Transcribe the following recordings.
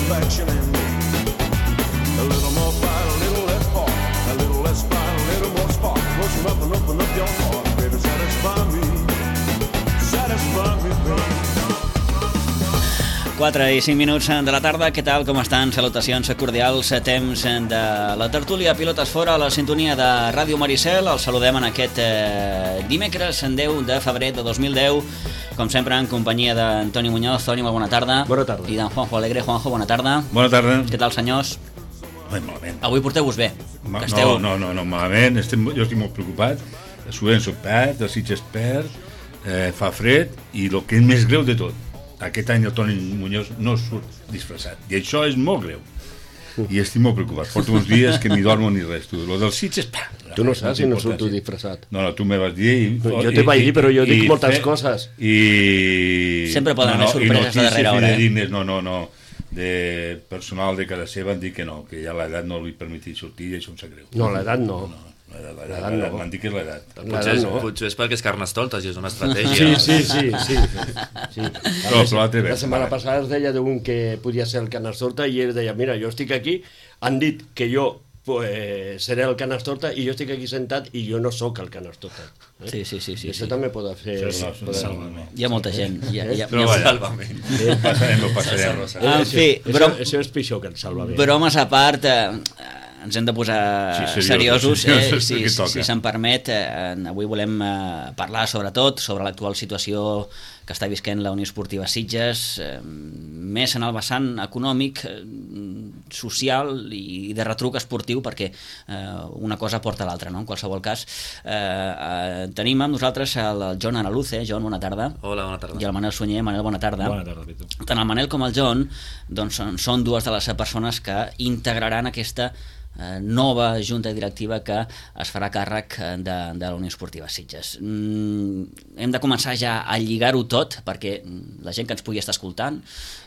satisfaction in me. A little more fight, a little less part. A little less fight, a little more spark. Close enough and open up your heart. Baby, satisfy me. Satisfy me, baby. 4 i 5 minuts de la tarda, què tal, com estan? Salutacions cordials, temps de la tertúlia Pilotes Fora, a la sintonia de Ràdio Maricel. Els saludem en aquest dimecres 10 de febrer de 2010, com sempre en companyia d'Antoni Muñoz. Toni, molt bona tarda. Bona tarda. I d'en Juanjo Alegre. Juanjo, bona tarda. Bona tarda. Què tal, senyors? Malament. Avui porteu-vos bé. No, malament. Jo estic molt preocupat. Soc perd, el Sitges perd, fa fred, i el que és més greu de tot, aquest any el Toni Muñoz no surt disfressat, i això és molt greu, i estic molt preocupat. Porto uns dies que ni dormo ni res. Lo del Sitges... Tu no saps si no surto disfressat. No, tu me vas dir... Jo te vaig dir, però jo dic moltes coses. Sempre poden haver sorpreses a darrera hora. No, de personal de casa seva han dit que no, que ja l'edat no li permetia sortir, i això em sap greu. No, l'edat no. L'edat m'han dit que és l'edat. Potser és perquè és Carnestoltes i és una estratègia. Sí. La setmana passada es deia d'un que podia ser el Carnestoltes i ell deia, mira, jo estic aquí, han dit que jo seré el Carnestoltes i jo estic aquí sentat i jo no sóc el Carnestoltes. Sí. Això també pot fer... Hi ha molta gent. Però salvament. Passarem. En fi, això és pitjor que el salvament. Bromes a part... ens hem de posar seriosos, si se'n permet. Avui volem parlar sobretot sobre l'actual situació que està visquent la Unió Esportiva Sitges, més en el vessant econòmic, social i de retruc esportiu, perquè una cosa porta a l'altra, no? En qualsevol cas, tenim amb nosaltres el John Araluce. John, bona tarda. Hola, bona tarda. I el Manel Sunyer. Manel, bona tarda. Bona tarda, Pitu. Tant el Manel com el John doncs, són dues de les persones que integraran aquesta nova junta directiva que es farà càrrec de la Unió Esportiva Sitges. Hem de començar ja a lligar-ho tot perquè la gent que ens pugui estar escoltant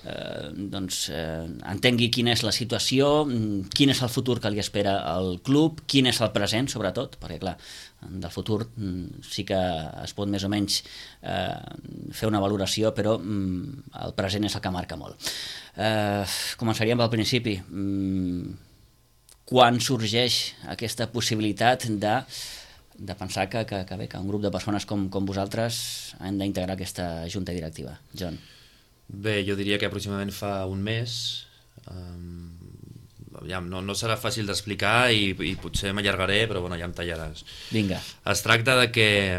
entengui quina és la situació, quin és el futur que li espera al club, quin és el present sobretot, perquè clar, del futur sí que es pot més o menys fer una valoració, però el present és el que marca molt. Començaríem pel principi. Quan sorgeix aquesta possibilitat de pensar que un grup de persones com vosaltres han d'integrar aquesta junta directiva? John. Bé, jo diria que aproximadament fa un mes. No serà fàcil d'explicar i potser m'allargaré, però bueno, ja em tallaràs. Vinga. Es tracta de que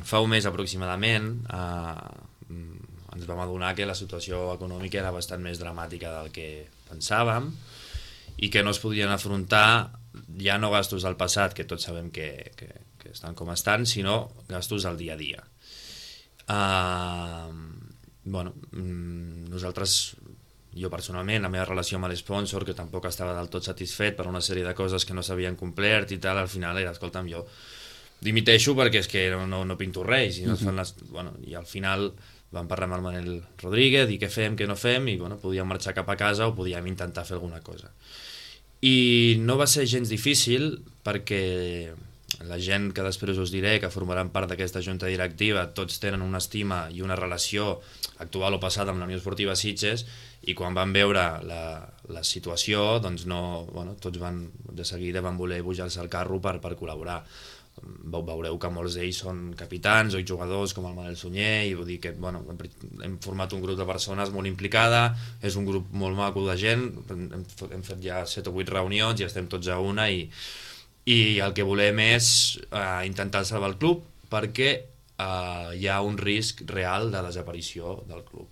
fa un mes aproximadament ens vam adonar que la situació econòmica era bastant més dramàtica del que pensàvem i que no es podien afrontar ja no gastos del passat, que tots sabem que estan com estan, sinó gastos del dia a dia. Nosaltres, jo personalment, la meva relació amb l'esponsor, que tampoc estava del tot satisfet per una sèrie de coses que no s'havien complert i tal, al final era, escolta'm, jo dimiteixo perquè és que no pinto res, i al final vam parlar amb el Manel Rodríguez i què fem, què no fem, i podíem marxar cap a casa o podíem intentar fer alguna cosa. I no va ser gens difícil perquè la gent que després us diré que formaran part d'aquesta junta directiva tots tenen una estima i una relació actual o passada amb la Unió Esportiva Sitges, i quan van veure la situació doncs tots de seguida van voler pujar-se al carro per col·laborar. Veureu que molts d'ells són capitans o jugadors com el Manel Sunyer, i vull dir que hem format un grup de persones molt implicada, és un grup molt maco de gent, hem fet ja 7 o 8 reunions i estem tots a una, i el que volem és intentar salvar el club perquè hi ha un risc real de desaparició del club.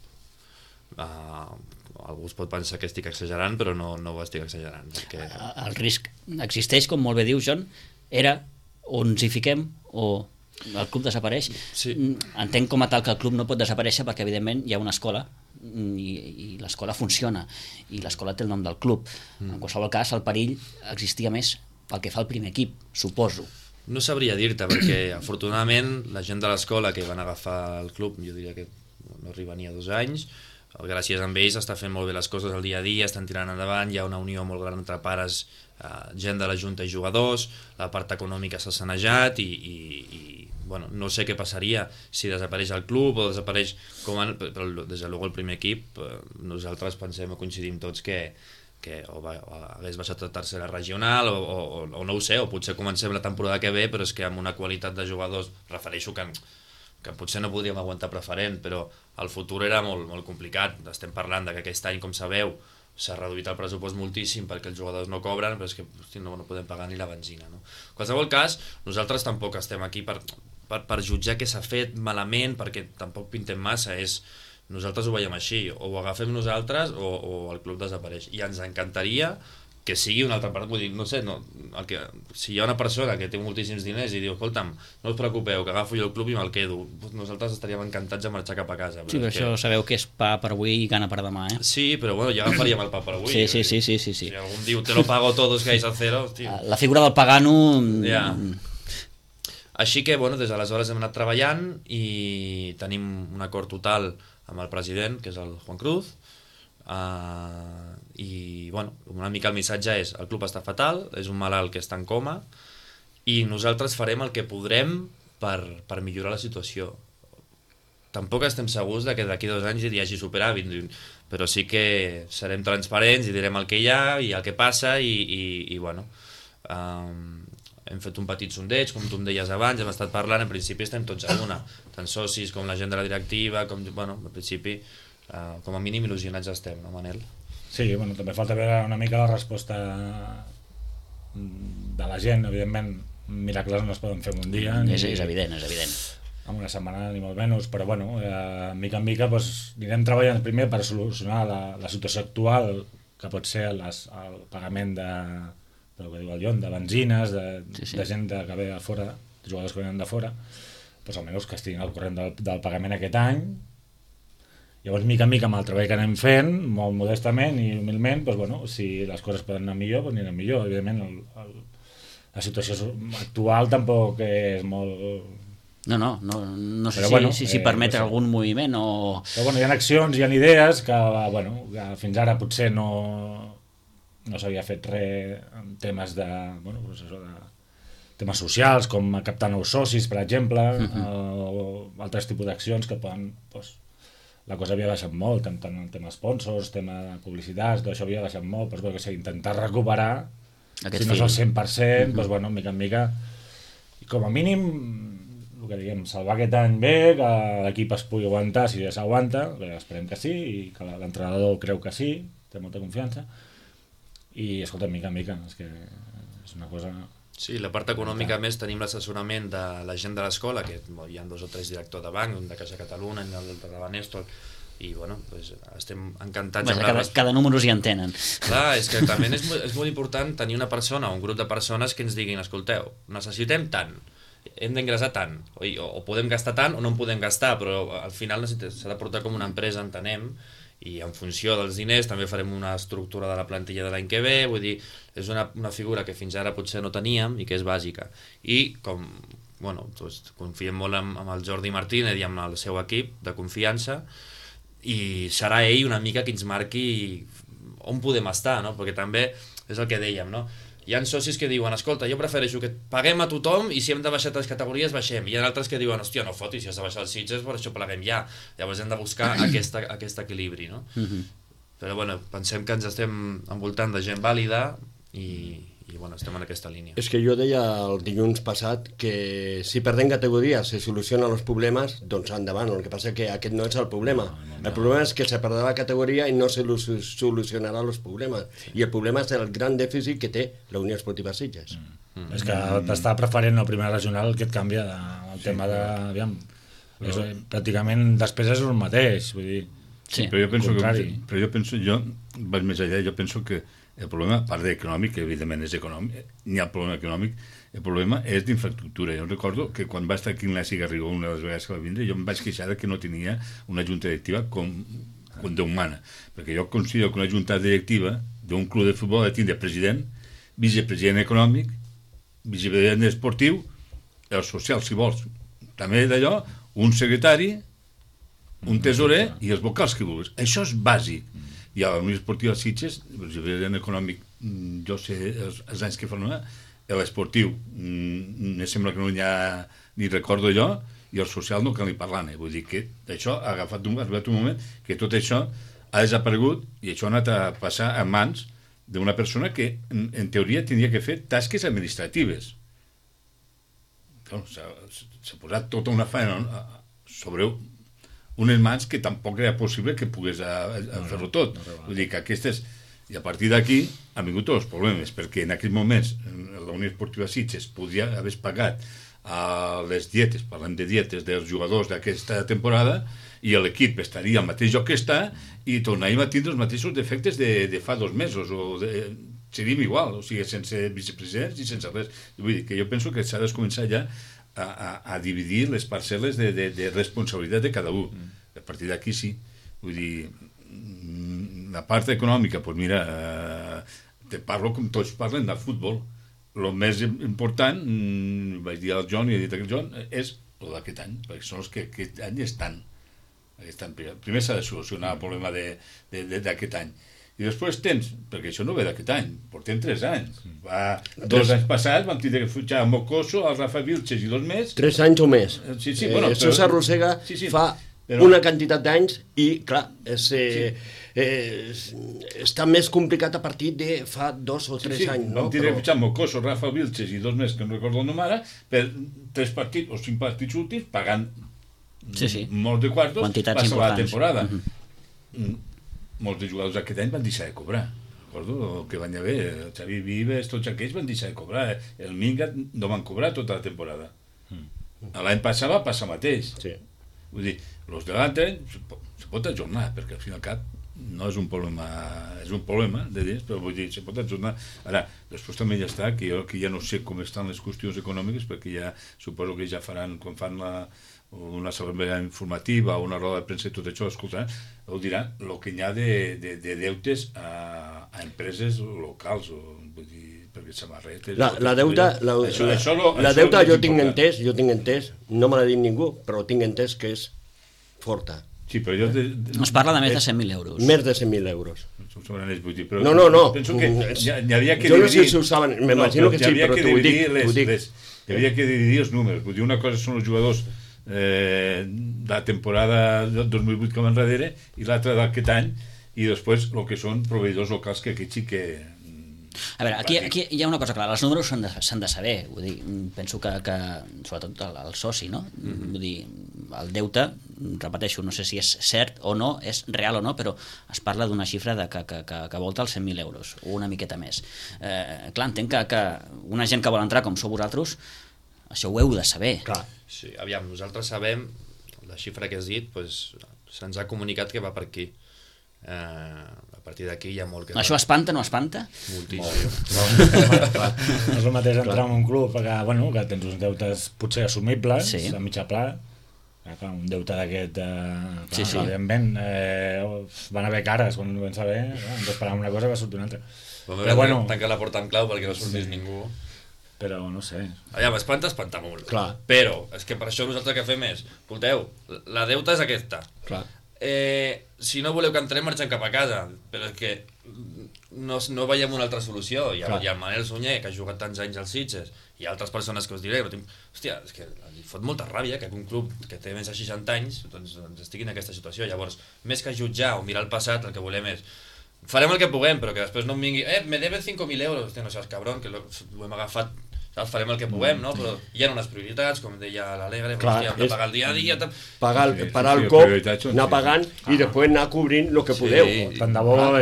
Algú es pot pensar que estic exagerant, però no ho estic exagerant. El risc existeix, com molt bé diu John, era o ens hi fiquem o el club desapareix. Sí. Entenc com a tal que el club no pot desaparèixer perquè evidentment hi ha una escola i l'escola funciona i l'escola té el nom del club. En qualsevol cas el perill existia més pel que fa al primer equip, suposo. No sabria dir-te, perquè afortunadament la gent de l'escola que van agafar el club, jo diria que no arriba ni a 2 anys, gràcies a ells està fent molt bé les coses al dia a dia, estan tirant endavant, hi ha una unió molt gran entre pares, gent de la Junta i jugadors, la part econòmica s'ha sanejat i bueno, no sé què passaria si desapareix el club o desapareix però des de luego el primer equip, nosaltres pensem o coincidim tots que o hagués baixat a tercera regional o no ho sé, o potser comencem la temporada que ve, però és que amb una qualitat de jugadors, refereixo que potser no podríem aguantar preferent, però el futur era molt, molt complicat. Estem parlant que aquest any, com sabeu, s'ha reduït el pressupost moltíssim perquè els jugadors no cobren, però és que no podem pagar ni la benzina, no? En qualsevol cas, nosaltres tampoc estem aquí per jutjar què s'ha fet malament, perquè tampoc pintem massa, nosaltres ho veiem així, o ho agafem nosaltres o el club desapareix, i ens encantaria que sigui una altra part, vull dir, no sé, si hi ha una persona que té moltíssims diners i diu, escolta'm, no us preocupeu, que agafo jo el club i me'l quedo, nosaltres estaríem encantats de marxar cap a casa. Sí, però això sabeu que és pa per avui i gana per demà, Sí, però bueno, ja agafaríem el pa per avui. Sí. Si algun diu, te lo pago todo, es que vais a cero, hòstia. La figura del pagano... Ja. Així que, bueno, des d'aleshores hem anat treballant i tenim un acord total amb el president, que és el Juan Cruz, i bueno, una mica el missatge és el club està fatal, és un malalt que està en coma i nosaltres farem el que podrem per millorar la situació. Tampoc estem segurs que d'aquí 2 anys hi hagi superàvit, però sí que serem transparents i direm el que hi ha i el que passa i bueno, hem fet un petit sondeig, com tu em deies abans, hem estat parlant, en principi estem tots a una, tant socis com la gent de la directiva, bueno, en principi com a mínim il·lusionats estem, no, Manel? Sí, bueno, també falta veure una mica la resposta de la gent, evidentment miracles no es poden fer en un dia és evident en una setmana ni molt menys, però bueno, mica en mica anirem treballant primer per solucionar la situació actual, que pot ser el pagament del que diu el Jon, de benzines, de gent que ve de fora, de jugadors que venen de fora, doncs almenys que estiguin al corrent del pagament aquest any. Llavors, mica en mica, amb el treball que anem fent, molt modestament i humilment, doncs, bueno, si les coses poden anar millor, doncs aniran millor. Evidentment, la situació actual tampoc és molt... No sé si permet algun moviment o... Però bueno, hi ha accions, hi ha idees que fins ara potser no s'havia fet res en temes de temes socials, com captar nous socis, per exemple, o altres tipus d'accions que poden... La cosa havia baixat molt, tant en tema sponsors, tema de publicitats, tot això havia baixat molt, però intentar recuperar, si no és el 100%, doncs bueno, mica en mica, i com a mínim, el que diguem, salvar aquest any bé, que l'equip es pugui aguantar, si ja s'aguanta, esperem que sí, i que l'entrenador creu que sí, té molta confiança, i escolta, mica en mica, és que és una cosa... Sí, la part econòmica, més, tenim l'assessorament de la gent de l'escola, que hi ha 2 o 3 directors de banc, un de Caixa Catalunya, un de la Néstor, i bueno, doncs estem encantats. Cada número s'hi entenen. Clar, és que també és molt important tenir una persona o un grup de persones que ens diguin, escolteu, necessitem tant, hem d'ingressar tant, o podem gastar tant o no en podem gastar, però al final s'ha de portar com una empresa, entenem, i en funció dels diners també farem una estructura de la plantilla de l'any que ve, vull dir, és una figura que fins ara potser no teníem i que és bàsica. I com, bueno, doncs confiem molt amb el Jordi Martínez i amb el seu equip de confiança, i serà ell una mica que ens marqui on podem estar, no? Perquè també és el que dèiem, no? Hi ha socis que diuen, escolta, jo prefereixo que paguem a tothom i si hem de baixar 3 categories baixem, i hi ha altres que diuen, hòstia, no fotis, si has de baixar els Sitges, per això pleguem ja. Llavors hem de buscar aquest equilibri, no? Però bueno, pensem que ens estem envoltant de gent vàlida i bueno, estem en aquesta línia. És que jo deia el dilluns passat que si perdem categoria se solucionen els problemes, doncs endavant. El que passa és que aquest no és el problema. El problema és que se perdrà la categoria i no se solucionarà els problemes. I el problema és el gran dèficit que té la Unió Esportiva Sitges. És que d'estar preferent al primer regional que et canvia el tema de... Aviam, pràcticament després és el mateix, vull dir... Sí, però jo vaig més allà, jo penso que el problema, a part d'econòmic, que evidentment és econòmic, n'hi ha problema econòmic, el problema és d'infraestructura. Jo recordo que quan va estar aquí en l'Ignasi Garrigó una de les vegades que va vindre, jo em vaig queixar que no tenia una junta directiva com d'humana, perquè jo considero que una junta directiva d'un club de futbol ha de tindre president, vicepresident econòmic, vicepresident esportiu, el social, si vols, també d'allò, un secretari un tesorer i els vocals que vulguis. Això és bàsic. I a la Unió Esportiva Sitges, en econòmic, jo sé els anys que fa l'esportiu, me sembla que no hi ha ni recordo jo, i el social no cal ni parlar, vull dir que això ha arribat un moment que tot això ha desaparegut i això ha anat a passar a mans d'una persona que en teoria tindria que fer tasques administratives. S'ha posat tota una feina sobre unes mans que tampoc era possible que pogués fer-ho tot. Vull dir que aquestes... I a partir d'aquí han vingut tots els problemes, perquè en aquells moments la Unió Esportiva Sitges podria haver pagat les dietes, parlem de dietes dels jugadors d'aquesta temporada, i l'equip estaria al mateix lloc que està i tornaríem a tindre els mateixos defectes de fa 2 mesos, seríem igual, o sigui, sense vicepresidents i sense res. Vull dir que jo penso que s'ha de començar ja a dividir les parcel·les de responsabilitat de cada un. A partir d'aquí sí. Vull dir, la part econòmica, doncs mira, te parlo com tots parlen del futbol. El més important, vaig dir al John i he dit al John, és el d'aquest any, perquè són els que aquest any estan. Primer s'ha de solucionar el problema d'aquest any. I després tens, perquè això no ve d'aquest any, portem 3 anys. 2 anys passats vam tenir que fitxar a Mocoso, al Rafa Vilches i 2 més. 3 anys o més. Sí, bueno, això s'arrossega fa una quantitat d'anys i, clar, està més complicat a partir de fa 2 o 3 anys. Vam tenir que fitxar Mocoso, Rafa Vilches i 2 més, que no recordo el nom ara, per 3 partits o 5 partits últims, pagant molts de quartos, passa la temporada. Molts de jugadors aquest any van deixar de cobrar. Recordo que van haver, el Xavi Vives, tots aquells van deixar de cobrar. El Minga no van cobrar tota la temporada. L'any passat va passar mateix. Vull dir, els de l'altre any se pot ajornar, perquè al fin i al cap no és un problema, és un problema de diners, però vull dir, se pot ajornar. Ara, després també ja està, que jo ja no sé com estan les qüestions econòmiques, perquè ja suposo que ja faran, quan fan una assemblea informativa o una roda de premsa i tot això, escoltaran, ho diran, el que hi ha de deutes a empreses locals, vull dir, perquè samarretes... La deuta jo tinc entès, no me l'ha dit ningú, però tinc entès que és forta. Sí, però jo... Es parla de més de 100.000 euros. Més de 100.000 euros. No. Penso que n'hi havia que dividir... Jo no sé si ho saben, m'imagino que sí, però t'ho dic. Hi havia que dividir els números. Vull dir, una cosa són els jugadors de la temporada 2008 com enrere i l'altra d'aquest any, i després el que són proveïdors locals, que aquí sí que... A veure, aquí hi ha una cosa clara, els números s'han de saber, vull dir, penso que sobretot el soci, no? Vull dir, el deute, repeteixo, no sé si és cert o no, és real o no, però es parla d'una xifra que volta els 100.000 euros, o una miqueta més. Clar, entenc que una gent que vol entrar com sou vosaltres, això ho heu de saber. Clar. Sí, aviam, nosaltres sabem, la xifra que has dit, se'ns ha comunicat que va per aquí. A partir d'aquí hi ha molt que... Això espanta o no espanta? Moltíssim. No és el mateix entrar en un club que tens uns deutes potser assumibles, a mitjà pla, un deute d'aquest... Evidentment, van haver cares quan ho vam saber, ens esperàvem una cosa i va sortir una altra. Però bueno... Tancar la porta amb clau perquè no sortís ningú. Però no sé. Allà, espanta molt. Clar. Però és que per això nosaltres que fem és, escolteu, la deuta és aquesta. Clar. Si no voleu que entrem, marxem cap a casa, però és que no veiem una altra solució. Hi ha el Manel Sunyer, que ha jugat tants anys als Sitges, i altres persones que us diré, però hòstia, és que li fot molta ràbia que un club que té més de 60 anys doncs estigui en aquesta situació. Llavors, més que jutjar o mirar el passat, el que volem és farem el que puguem, però que després no em vingui me debes 5.000 euros, hòstia, no seas cabrón, que ho hem agafat, saps? Farem el que puguem, no? Però hi ha unes prioritats, com deia l'Alegre, hem de pagar el dia a dia... Parar el cop, anar pagant i després anar cobrint el que podeu. Tant de bo, el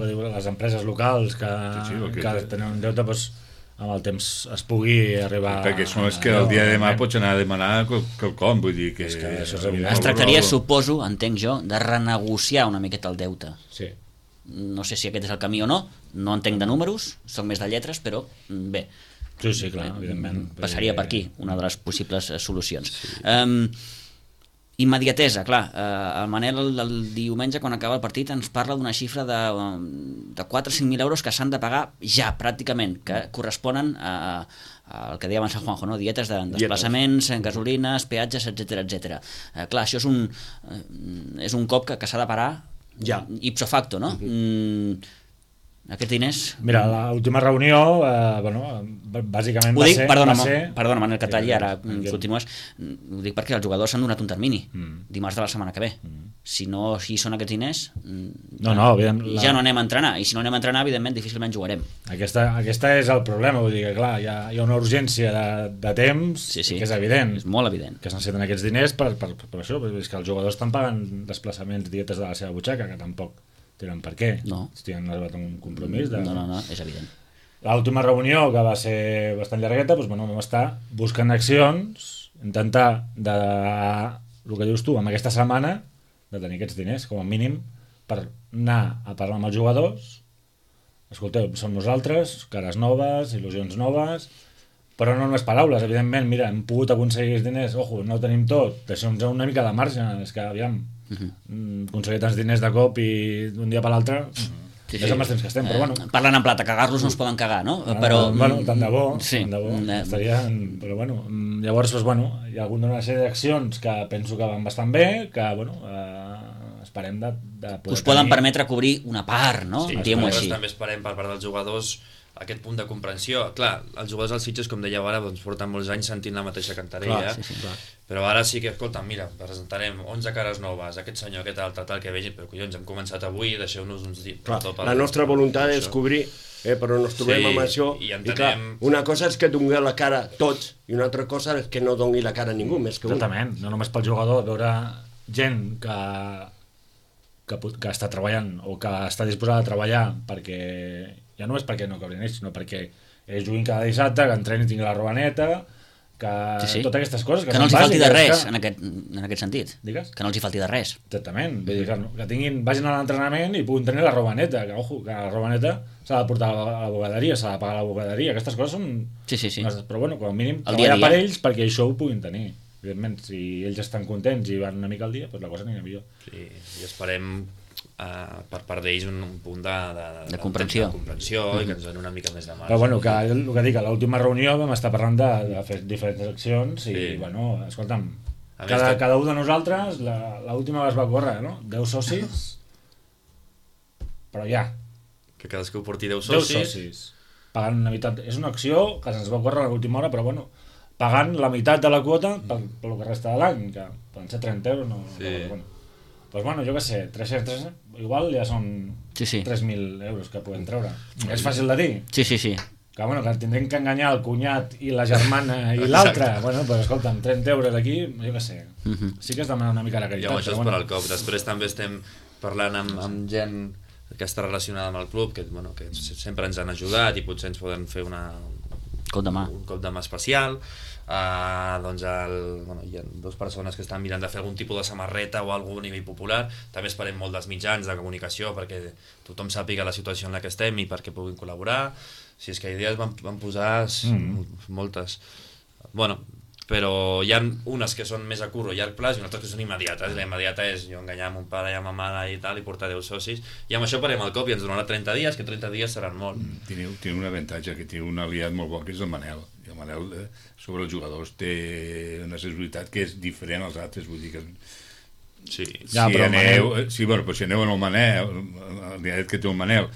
que diuen les empreses locals que tenen un deute, amb el temps es pugui arribar... Perquè són els que el dia de demà pots anar a demanar quelcom, vull dir que... Es tractaria, suposo, entenc jo, de renegociar una miqueta el deute. Sí. No sé si aquest és el camí o no entenc de números, soc més de lletres, però bé. Sí, clar, evidentment. Passaria per aquí, una de les possibles solucions. Immediatesa, clar. El Manel el diumenge, quan acaba el partit, ens parla d'una xifra de 4 o 5.000 euros que s'han de pagar ja, pràcticament, que corresponen al que deia abans en Juanjo, no? Dietes de desplaçaments, gasolines, peatges, etc. Clar, això és un cop que s'ha de parar ja, ipso facto, no? Aquests diners... Mira, l'última reunió, bàsicament va ser... Perdona, Manel, que talli, ara continues. Ho dic perquè els jugadors s'han donat un termini, dimarts de la setmana que ve. Si no hi són aquests diners, ja no anem a entrenar, i si no anem a entrenar, evidentment, difícilment jugarem. Aquesta és el problema, vull dir que, clar, hi ha una urgència de temps que és evident. És molt evident. Que es necessiten aquests diners per això, és que els jugadors estan pagant desplaçaments, dietes de la seva butxaca, que tampoc tenen per què. No. Han arribat a un compromís. No, és evident. L'última reunió, que va ser bastant llargueta, vam estar buscant accions, intentar, el que dius tu, amb aquesta setmana, de tenir aquests diners, com a mínim, per anar a parlar amb els jugadors. Escolteu, som nosaltres, cares noves, il·lusions noves, però no només paraules, evidentment, mira, hem pogut aconseguir els diners, ojo, no ho tenim tot, deixem-nos una mica de marge, és que, aviam, aconseguir tants diners de cop i d'un dia per l'altre, és amb els temps que estem, però bueno. Parlant en plata, cagar-los no es poden cagar, no? Tant de bo, estarien, però bueno, llavors, hi ha hagut una sèrie d'accions que penso que van bastant bé, que, esperem de poder us poden permetre cobrir una part, no? Sí, també esperem per part dels jugadors aquest punt de comprensió. Clar, els jugadors dels Sitges, com dèieu ara, porten molts anys sentint la mateixa cantarella, però ara sí que, escolta, mira, presentarem 11 cares noves, aquest senyor, aquest altre, tal, que vegin, però collons, hem començat avui, deixeu-nos uns dies. La nostra voluntat és cobrir, però no ens trobem amb això, i clar, una cosa és que doni la cara tots, i una altra cosa és que no doni la cara a ningú, més que un. Exactament, no només pel jugador, veure gent que està treballant o que està disposada a treballar perquè ja no és perquè no cobrin ells, sinó perquè ells juguin cada dissabte, que entrenin, tinguin la roba neta, que totes aquestes coses que no els hi falti de res en aquest sentit. Digues? Que no els hi falti de res. Exactament, vull dir que vagin a l'entrenament i puguin tenir la roba neta, que la roba neta s'ha de portar a la bugaderia, s'ha de pagar a la bugaderia, aquestes coses són... Sí. Però com a mínim treballar per ells perquè això ho puguin tenir. Evidentment, si ells estan contents i van una mica al dia, la cosa anirà millor. Sí, i esperem per part d'ells un punt de comprensió i que ens donin una mica més de marge. Però que el que dic, a l'última reunió vam estar parlant de fer diferents accions i, escolta'm, cada un de nosaltres, l'última es va córrer, no? 10 socis, però ja. Que cadascú porti 10 socis. Pagant una mitat. És una acció que se'ns va córrer a l'última hora, però pagant la meitat de la quota pel que resta de l'any, que poden ser 30 euros, jo què sé, 300, igual ja són 3.000 euros que podem treure. És fàcil de dir? Sí. Que tindrem que enganyar el cunyat i la germana i l'altre. Però escolta'm, 30 euros aquí, jo què sé. Sí que es demana una mica la caritat. Ja, això és per al cop. Després també estem parlant amb gent que està relacionada amb el club, que sempre ens han ajudat i potser ens poden fer un cop de mà especial. Hi ha 2 persones que estan mirant de fer algun tipus de samarreta o algun nivell popular. També esperem molt dels mitjans de comunicació perquè tothom sàpiga la situació en la que estem i perquè puguin col·laborar. Si és que idees van posar moltes, però hi ha unes que són més a curt o llarg plaç i unes que són immediates. La immediata és jo enganyar mon pare i ma mare i tal i portar 10 socis, i amb això parem el cop i ens donarà 30 dies, que 30 dies seran molt. Té un avantatge, que té un aliat molt bo, que és el Manel. I el Manel sobre els jugadors té una sensibilitat que és diferent als altres, vull dir que... Si aneu en el Manel, l'aliat que té el Manel,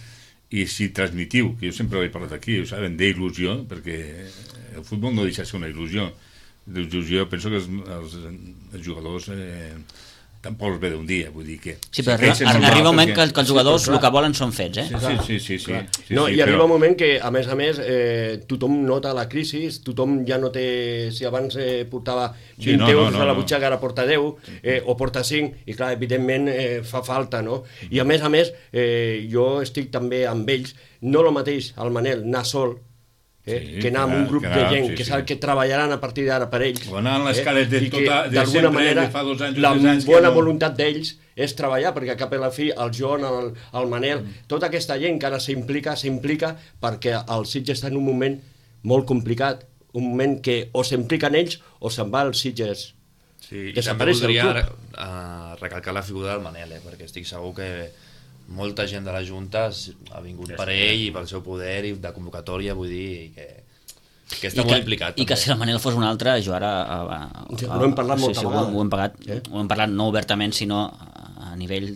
i si transmitiu, que jo sempre l'he parlat aquí, ho saben, d'il·lusió, perquè el futbol no deixa de ser una il·lusió. Jo penso que els jugadors tampoc els ve d'un dia, vull dir que... Sí, però arriba un moment que els jugadors el que volen són fets, Sí. I arriba un moment que, a més, tothom nota la crisi, tothom ja no té... Si abans portava 20 euros a la butxaca, ara porta 10, o porta 5, i clar, evidentment fa falta, no? I a més, jo estic també amb ells, no el mateix el Manel anar sol, que anar amb un grup de gent que sap que treballaran a partir d'ara per ells, o anar en les cares de d'alguna manera la bona voluntat d'ells és treballar, perquè a cap a la fi el Joan, el Manel, tota aquesta gent que ara s'implica perquè el Sitges està en un moment molt complicat, un moment que o s'impliquen ells o se'n va els Sitges Sí, i també voldria recalcar la figura del Manel, perquè estic segur que molta gent de la Junta ha vingut per ell i pel seu poder i de convocatòria, vull dir, que està molt implicat. I que si el Manel fos un altre, jo ara... Ho hem parlat molta vegada. Ho hem parlat no obertament, sinó a nivell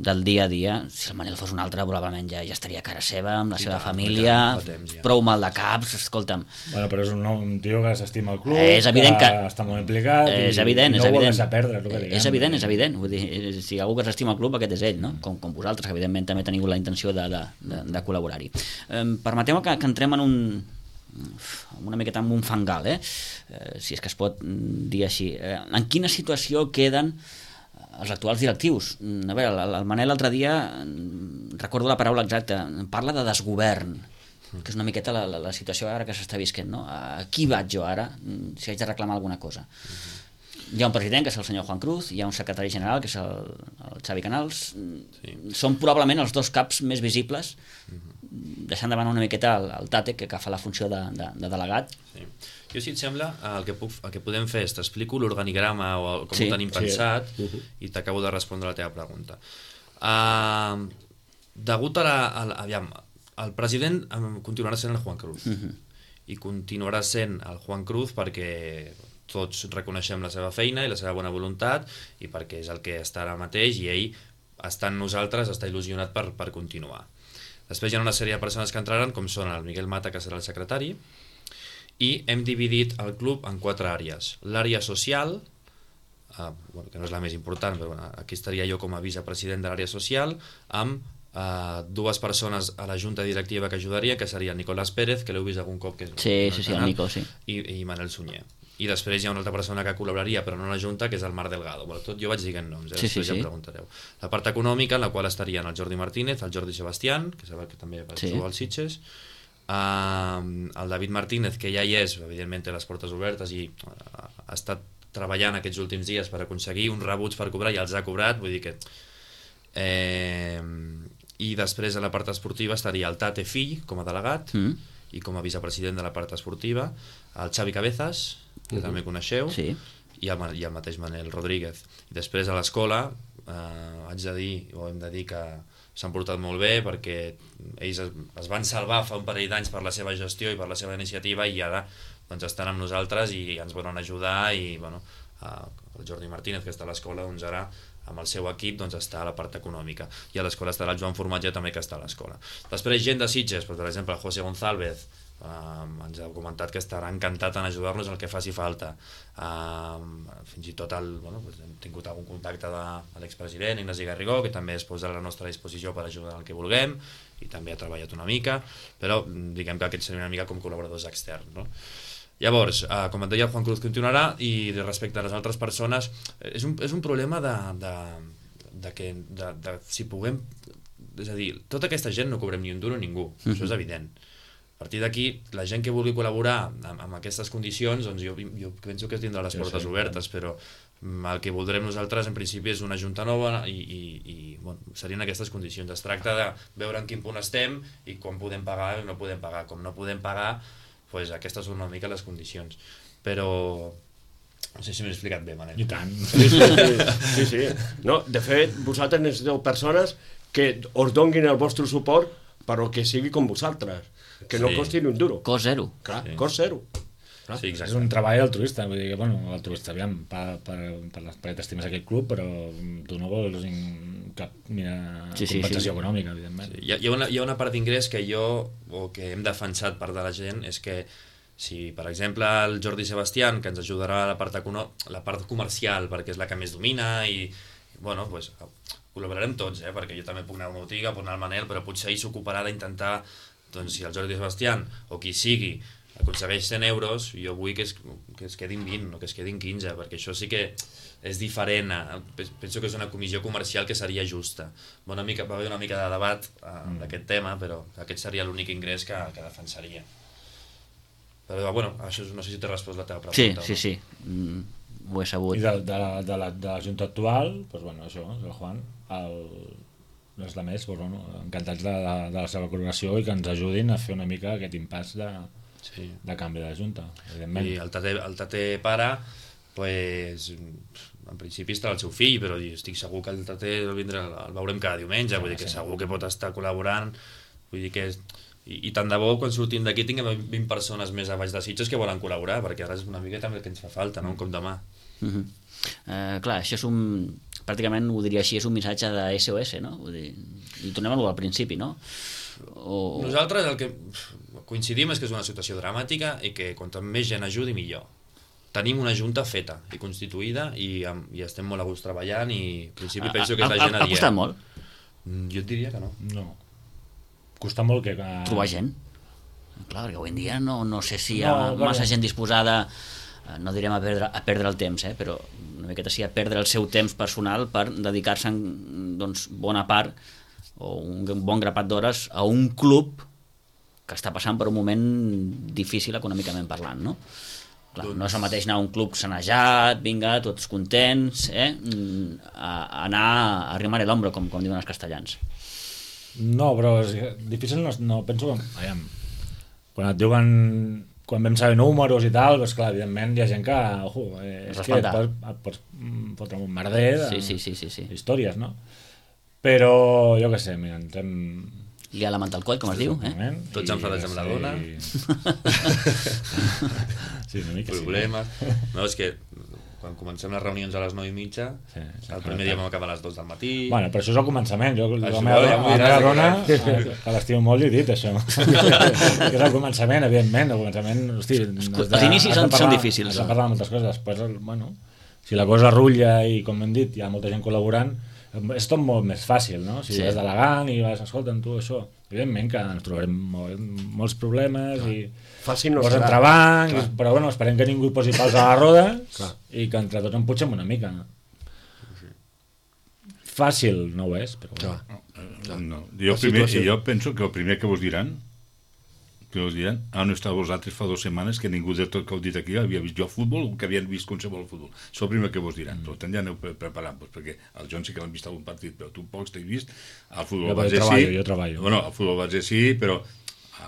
del dia a dia. Si el Manel fos un altre, probablement ja estaria a cara seva, amb la seva família, prou mal de caps, escolta'm. Bueno, però és un tio que s'estima el club, és evident que està molt implicat i no ho vol deixar perdre. És evident. Vull dir, si hi ha algú que s'estima el club, aquest és ell, no? Com vosaltres, que evidentment també teniu la intenció de col·laborar-hi. Permeteu que entrem en una miqueta en un fangal, si és que es pot dir així. En quina situació queden els actuals directius? A veure, el Manel l'altre dia, recordo la paraula exacta, parla de desgovern, que és una miqueta la situació ara que s'està visquent, no? A qui vaig jo ara si haig de reclamar alguna cosa? Hi ha un president, que és el senyor Juan Cruz, hi ha un secretari general, que és el Xavi Canals. Són probablement els dos caps més visibles, deixant de banda una miqueta el Tate, que fa la funció de delegat. Sí. Jo, si et sembla, el que podem fer és t'explico l'organigrama o com ho tenim pensat i t'acabo de respondre la teva pregunta. Degut aviam, el president continuarà sent el Juan Cruz i continuarà sent el Juan Cruz perquè tots reconeixem la seva feina i la seva bona voluntat i perquè és el que està ara mateix i ell està en nosaltres, està il·lusionat per continuar. Després hi ha una sèrie de persones que entraran, com són el Miguel Mata, que serà el secretari, i hem dividit el club en 4 àrees. L'àrea social, que no és la més important, però aquí estaria jo com a vicepresident de l'àrea social, amb 2 persones a la junta directiva que ajudaria, que seria Nicolás Pérez, que l'heu vist algun cop, que és el Nico, sí. I Manel Sunyer. I després hi ha una altra persona que col·laboraria, però no a la junta, que és el Marc Delgado. Bueno, tot jo vaig dient noms, després ja em preguntareu. La part econòmica, en la qual estarien el Jordi Martínez, el Jordi Sebastián, que sabeu que també va jugar als Sitges, el David Martínez, que ja hi és, evidentment té les portes obertes i ha estat treballant aquests últims dies per aconseguir uns rebuts per cobrar i els ha cobrat, vull dir que i després a la part esportiva estaria el Tate fill com a delegat i com a vicepresident de la part esportiva, el Xavi Cabezas, que també coneixeu, i el mateix Manel Rodríguez. I després a l'escola haig de dir, o hem de dir que s'han portat molt bé perquè ells es van salvar fa un parell d'anys per la seva gestió i per la seva iniciativa i ara doncs, estan amb nosaltres i ens volen ajudar i bueno, el Jordi Martínez, que està a l'escola, doncs ara amb el seu equip doncs, està a la part econòmica i a l'escola estarà el Joan Formatge també, que està a l'escola. Després gent de Sitges, per exemple el José González, ens ha comentat que estarà encantat en ajudar-nos en el que faci falta. Fins i tot hem tingut algun contacte de l'expresident Ignasi Garrigó, que també es posa a la nostra disposició per ajudar en el que vulguem i també ha treballat una mica, però diguem que aquest seria una mica com col·laboradors externs, no? Llavors, com et deia, el Juan Cruz continuarà i respecte a les altres persones és un problema de si puguem, és a dir, tota aquesta gent no cobrem ni un duro a ningú, això és evident. A partir d'aquí, la gent que vulgui col·laborar amb aquestes condicions, doncs jo penso que tindrà les portes obertes, però el que voldrem nosaltres en principi és una junta nova i serien aquestes condicions. Es tracta de veure en quin punt estem i quan podem pagar i no podem pagar. Com no podem pagar, doncs aquestes són una mica les condicions. Però no sé si m'he explicat bé, Manel. I tant. Sí. No, de fet, vosaltres necessiteu persones que us donguin el vostre suport però que sigui com vosaltres, que no costi ni un duro. Cost zero. Clar, cost zero. Sí, és un treball altruista, vull dir que, bueno, altruista, aviam, perquè t'estimes aquest club, però tu no vols cap compensació econòmica, evidentment. Sí. Hi ha una part d'ingrés que que hem defensat part de la gent, és que si, per exemple, el Jordi Sebastián, que ens ajudarà a la part comercial, perquè és la que més domina, i, bueno, doncs, col·laborarem tots, perquè jo també puc anar a una botiga, puc anar al Manel, però potser ell s'ocuparà d'intentar, doncs, si el Jordi Sebastián, o qui sigui, aconsegueix 100 euros, jo vull que es quedin 20, no que es quedin 15, perquè això sí que és diferent. Penso que és una comissió comercial que seria justa. Va haver una mica de debat d'aquest tema, però aquest seria l'únic ingrés que defensaria. Però, bueno, això no sé si t'he respost la teva pregunta. Sí. Ho he sabut. I de la Junta actual, doncs, bueno, això, el Juan, els altres, bueno, encantats de la seva col·laboració i que ens ajudin a fer una mica aquest impàs de canvi de la Junta, evidentment. I el Tate pare, pues, en principi estarà el seu fill, però estic segur que el Taté el veurem cada diumenge, vull dir que segur que pot estar col·laborant, vull dir que i tant de bo quan sortim d'aquí tinguem 20 persones més a baix de Sitges que volen col·laborar, perquè ara és una mica també el que ens fa falta, no? Un cop de mà. Clar, això és pràcticament ho diria així, és un missatge de SOS, no? Vull dir, i tornem al principi, no? Nosaltres el que coincidim és que és una situació dramàtica i que quanta més gent ajudi millor. Tenim una junta feta i constituïda i estem molt a gust treballant i en principi penso que és la gent ha costat molt? Jo et diria que no. No. Costa molt que... Trobar gent? Clar, perquè avui en dia no sé si hi ha massa gent disposada, no direm a perdre el temps, però una miqueta sí a perdre el seu temps personal per dedicar-se doncs, bona part o un bon grapat d'hores a un club que està passant per un moment difícil econòmicament parlant, no? Clar, no és el mateix anar a un club sanejat, vinga, tots contents, a anar a arrimar l'ombro, com diuen els castellans. No, però és difícil, no penso... Aviam, quan et diuen... Quan vam saber números i tal, doncs clar, evidentment hi ha gent que... és que et pots fotre un merder de històries, no? Però, jo què sé, mira, ens hem... Liar la manta al coll, com es diu, Tots enfadats amb la dona. Sí, una mica problemes. No, és que quan comencem les reunions a les 9:30, el primer dia vam acabar a les 2 del matí. Bueno, però això és el començament. Jo la meva dona, que l'estimo molt, li he dit això. Que és el començament, evidentment. El començament, hosti... Els inicis són difícils. Has de parlar de moltes coses. Després, bueno, si la cosa rutlla i, com hem dit, hi ha molta gent col·laborant, és tot molt més fàcil, no? Si vas delegant i vas, escolta'm, tu, això... Evidentment que ens trobarem molts problemes i pots entrebanc, però bueno, esperem que ningú posi pals a la roda i que entre tots emputxem una mica. Fàcil no ho és, però bueno. Jo penso que el primer que vos diran on estàveu vosaltres fa 2 setmanes que ningú de tot que heu dit aquí havia vist jo futbol o que havien vist qualsevol futbol. Això el primer que vos diran. Per tant ja aneu preparant-vos, perquè el John sí que l'han vist algun partit, però tu pocs t'he vist. Al futbol base sí. Jo treballo. Bueno, al futbol base sí, però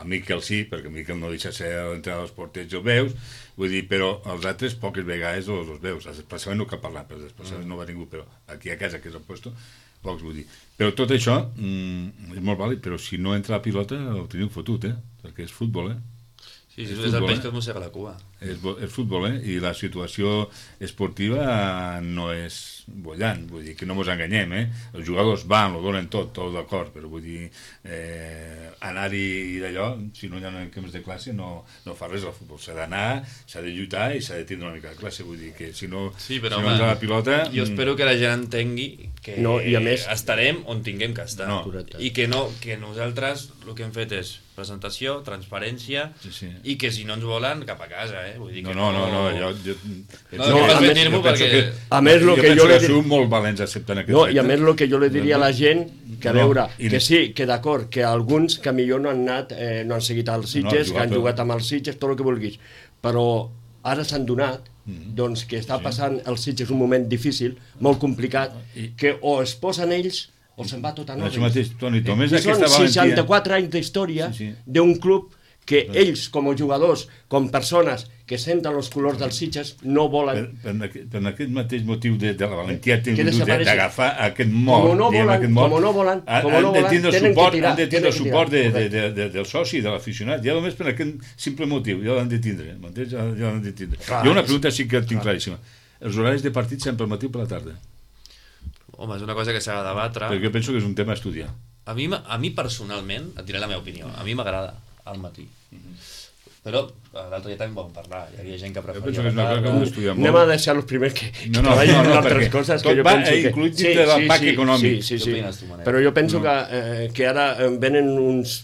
a Miquel sí, perquè Miquel no deixa ser l'entrenador dels porters i el veus, vull dir, però els altres poques vegades els veus. El desplaçament no cal parlar, però el desplaçament no va ningú, però aquí a casa, que és el puesto, pocs, vull dir. Però tot això és molt vàlid, però si no entra la pilota ho teniu fotut, perquè és futbol, Sí, és el peix que es mossega la cua. És futbol, i la situació esportiva no és bollant, vull dir que no ens enganyem, els jugadors van, ho donen tot d'acord, però vull dir anar-hi d'allò, si no hi ha temps de classe no fa res al futbol, s'ha d'anar, s'ha de lluitar i s'ha de tindre una mica de classe, vull dir que si no entra la pilota... Jo espero que la gent entengui que estarem on tinguem que estar, i que nosaltres el que hem fet és presentació, transparència, i que si no ens volen, cap a casa, vull dir que no, a més, jo penso que sou molt valents acceptant aquest repte. I a més, el que jo li diria a la gent, que a veure, que sí, que d'acord, que alguns que millor no han anat, no han seguit els Sitges, que han jugat amb els Sitges, tot el que vulguis, però ara s'han donat doncs que està passant els Sitges un moment difícil, molt complicat, que o es posen ells o se'n va tot a noves. I són 64 anys d'història d'un club que ells, com a jugadors, com persones que senten els colors dels Sitges, no volen... Per aquest mateix motiu de la valentia d'agafar aquest mort, com no volen, han de tindre suport del soci, de l'aficionat, ja només per aquest simple motiu, ja l'han de tindre. Jo una pregunta sí que tinc claríssima. Els horaris de partit sempre al matí o per la tarda? Home, és una cosa que s'ha de debatre. Perquè jo penso que és un tema a estudiar. A mi personalment, et diré la meva opinió, a mi m'agrada al matí. Però l'altre dia també vam parlar, hi havia gent que preferia la tarda. Anem a deixar els primers que treballen en altres coses que jo penso que... Incluït dintre del pack econòmic. Sí. Però jo penso que ara venen uns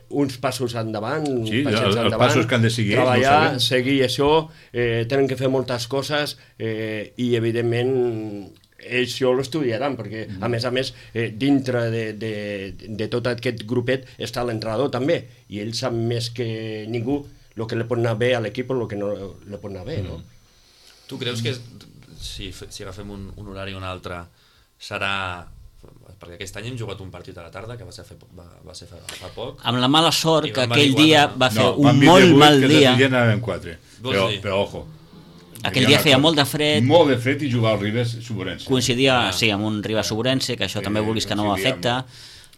uns passos endavant, els passos que han de seguir, treballar, seguir això, tenen que fer moltes coses i evidentment això l'estudiaran, perquè a més dintre de tot aquest grupet està l'entrenador també, i ell sap més que ningú el que li pot anar bé a l'equip o el que no li pot anar bé, no? Tu creus que si agafem un horari o un altre serà... Perquè aquest any hem jugat un partit a la tarda que va ser fa poc, amb la mala sort que aquell dia va fer un molt mal dia, però ojo, Aquell dia feia molt de fred. Molt de fred i jugar al Ribes Suburense. Coincidia, sí, amb un Ribes Suburense, que això també vulguis que no afecta.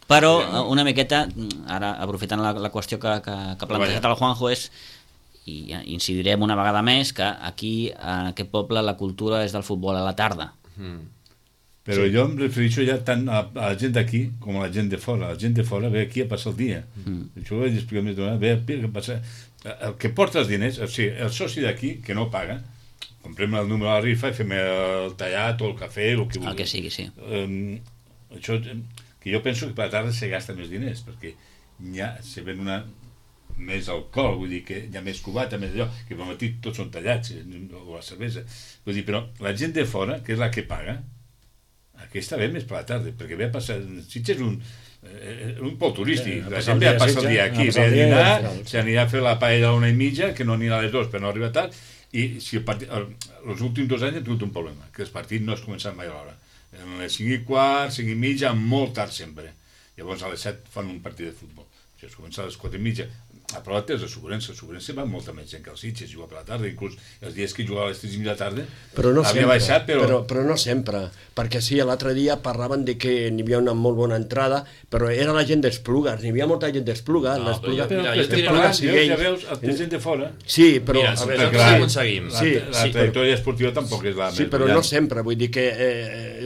Però una miqueta, ara aprofitant la qüestió que ha plantejat el Juanjo, és, i incidirem una vegada més, que aquí, en aquest poble, la cultura és del futbol a la tarda. Però jo em refereixo ja tant a la gent d'aquí com a la gent de fora. La gent de fora ve aquí a passar el dia. Això ho vaig explicar més d'una vegada. Ve a passar... El que porta els diners, o sigui, el soci d'aquí, que no paga, comprem el número a la rifa i fem el tallat o el cafè, el que vulgui. El que sigui, sí. Això, que jo penso que per la tarda se gasta més diners, perquè ja se ven més alcohol, vull dir que hi ha més cubata, més allò, que pel matí tots són tallats, o la cervesa. Vull dir, però la gent de fora, que és la que paga, aquesta ve més per la tarda, perquè ve a passar... Sitges un poc turístic, la gent ve a passar el dia aquí, ve a dinar, s'anirà a fer la paella a 1:30, que no anirà a les 2 per no arribar tard, i si els últims 2 anys hem tingut un problema, que els partits no es comencen mai a l'hora. A les 5:15, 5:30, molt tard sempre. Llavors a les 7 fan un partit de futbol. Si es comença a les 4:30, a prova és el Suburense va molta més gent que els Sitges, juga per la tarda, inclús els dies que jugava a les 3:30 de la tarda havia baixat, però no sempre, perquè sí, l'altre dia parlaven de que n'hi havia una molt bona entrada, però era la gent d'Esplugues, n'hi havia molta gent d'Esplugues. No, però ja veus, el gent de fora. Sí, però... Mira, nosaltres aconseguim. La trajectòria esportiva tampoc és la més... Sí, però no sempre, vull dir que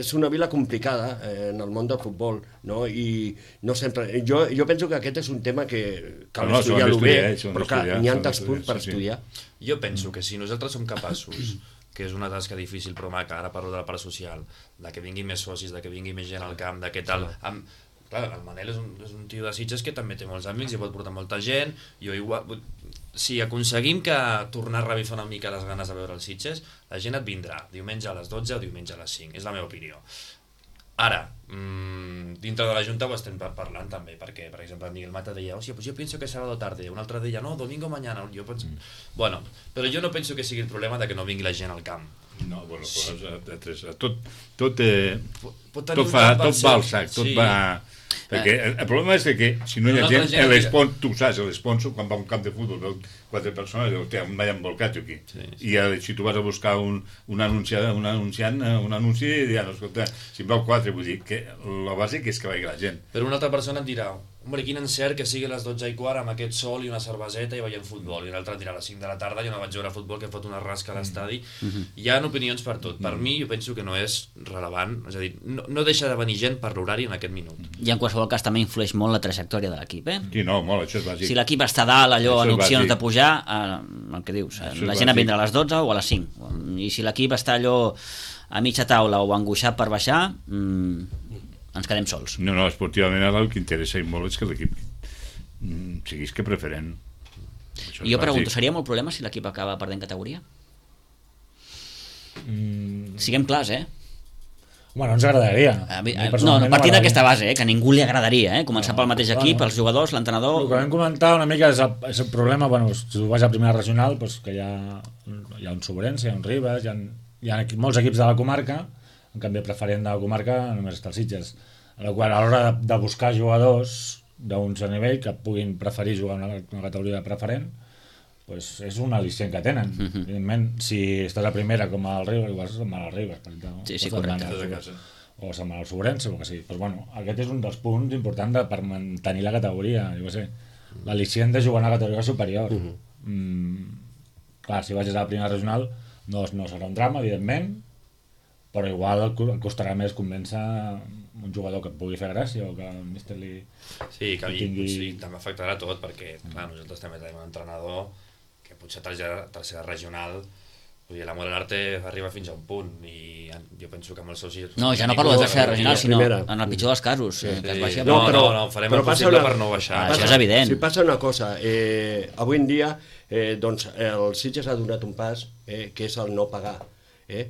és una vila complicada en el món del futbol, no? I no sempre... Jo penso que aquest és un tema que cal estudiar bé, però que n'hi ha tants punts per estudiar. Jo penso que si nosaltres som capaços, que és una tasca difícil però maca, ara parlo de la part social, de que vinguin més socis, de que vingui més gent al camp, de què tal... Clar, el Manel és un tio de Sitges que també té molts amics i pot portar molta gent. Jo igual... Si aconseguim que tornar a revifar una mica les ganes de veure els Sitges, la gent et vindrà diumenge a les 12 o diumenge a les 5, és la meva opinió. Ara, dintre de la Junta ho estem parlant també, perquè, per exemple, Miguel Mata deia, pues yo pienso que sábado tarde, un altre deia, no, domingo mañana, jo penso... Bueno, però jo no penso que sigui el problema de que no vingui la gent al camp. No, bueno, tot va al sac, tot va... Perquè el problema és que si no hi ha gent, tu saps, l'esponsor, quan va a un camp de futbol, veu 4 persones, hòstia, em vaig embolcat aquí. I si tu vas a buscar un anunci, diran, escolta, si em veu 4, vull dir que la bàsic és que vagi la gent. Però una altra persona et dirà, hombre, quin encert que sigui a les 12:15 amb aquest sol i una cerveseta i veient futbol, i l'altre dirà a les 5 de la tarda, jo no vaig veure futbol, que he fot una rasca a l'estadi. Hi ha opinions per tot. Per mi, jo penso que no és rellevant, és a dir, no deixa de venir gent per l'horari en aquest minut. I en qualsevol cas també influeix molt la trajectòria de l'equip, Sí, no, molt, això és bàsic. Si l'equip està dalt, allò, en opcions de pujar, el que dius, la gent vindrà a les 12 o a les 5. I si l'equip està allò a mitja taula o angoixat per baixar, ens quedem sols. No, esportivament el que interessa i molt és que l'equip siguis que preferent. I jo pregunto, seria molt problema si l'equip acaba perdent categoria? Siguem clars, Bueno, ens agradaria. Partint d'aquesta base, que a ningú li agradaria, començar pel mateix equip, els jugadors, l'entrenador... El que vam comentar una mica és el problema, si tu vas a primera regional, que hi ha un Suburense, hi ha un Ribes, hi ha molts equips de la comarca, en canvi preferent de la comarca només està el Sitges, a l'hora de buscar jugadors d'un cert nivell que puguin preferir jugar una categoria de preferent, és un al·licient que tenen. Evidentment, si estàs a primera com al Ribes, igual se'n va al Ribes, per exemple. Sí, correcte. O se'n va al Suburense, o que sí. Aquest és un dels punts importants per mantenir la categoria, jo què sé. L'al·licient de jugar a una categoria superior. Clar, si vagis a la primera regional no serà un drama, evidentment, però igual costarà més convèncer un jugador que et pugui fer gràcia o que el míster li... Sí, també afectarà tot, perquè clar, nosaltres també tenim un entrenador que potser tercera regional, vull dir, l'amor a l'arte arriba fins a un punt i jo penso que amb els socis... No, ja no parlo de tercera regional, sinó en el pitjor dels casos, que es baixi... No, farem el possible per no baixar. Això és evident. Si passa una cosa, avui en dia el Sitges ha donat un pas, que és el no pagar.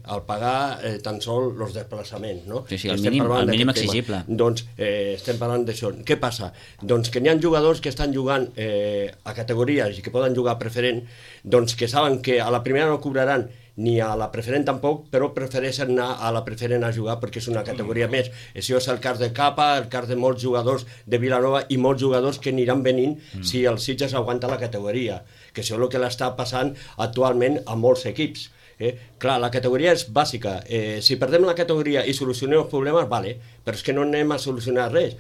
Al pagar tan sols els desplaçaments, no? Sí, el mínim exigible. Doncs estem parlant d'això. Què passa? Doncs que n'hi ha jugadors que estan jugant a categories i que poden jugar a preferent, doncs que saben que a la primera no cobraran ni a la preferent tampoc, però prefereixen anar a la preferent a jugar perquè és una categoria més. Això és el cas de Capa, el cas de molts jugadors de Vilanova i molts jugadors que aniran venint si el Sitges aguanta la categoria, que això és el que l'està passant actualment a molts equips. Clar, la categoria és bàsica. Si perdem la categoria i solucionem els problemes, vale, però és que no anem a solucionar res.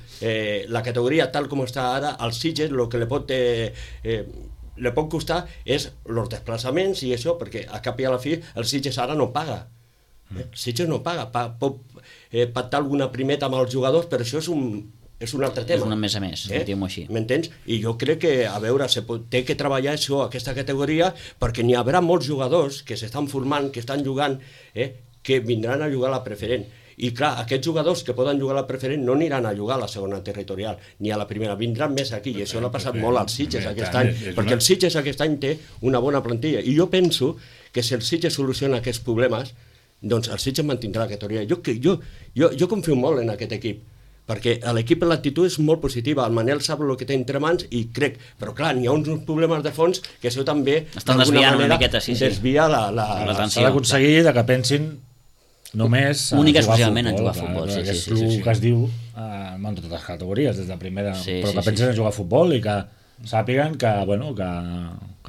La categoria, tal com està ara, als Sitges, el que li pot costar és els desplaçaments i això, perquè a cap i a la fi el Sitges ara no paga. El Sitges no paga. Pot pactar alguna primeta amb els jugadors, però això és un altre tema. És un més a més, diguem-ho així. M'entens? I jo crec que, a veure, té que treballar això, aquesta categoria, perquè n'hi haurà molts jugadors que s'estan formant, que estan jugant, que vindran a jugar a la preferent. I clar, aquests jugadors que poden jugar a la preferent no aniran a jugar a la segona territorial, ni a la primera, vindran més aquí, i això l'ha passat molt als Sitges aquest any, perquè el Sitges aquest any té una bona plantilla, i jo penso que si el Sitges soluciona aquests problemes, doncs el Sitges mantindrà la categoria. Jo confio molt en aquest equip, perquè l'equip l'actitud és molt positiva, el Manel sap el que té entre mans i crec, però clar, n'hi ha uns problemes de fons que això també d'alguna manera desvia l'atenció. S'ha d'aconseguir que pensin només única exclusivament en jugar a futbol, que és el que es diu en totes les categories, des de primera, però que pensin en jugar a futbol i que sàpiguen que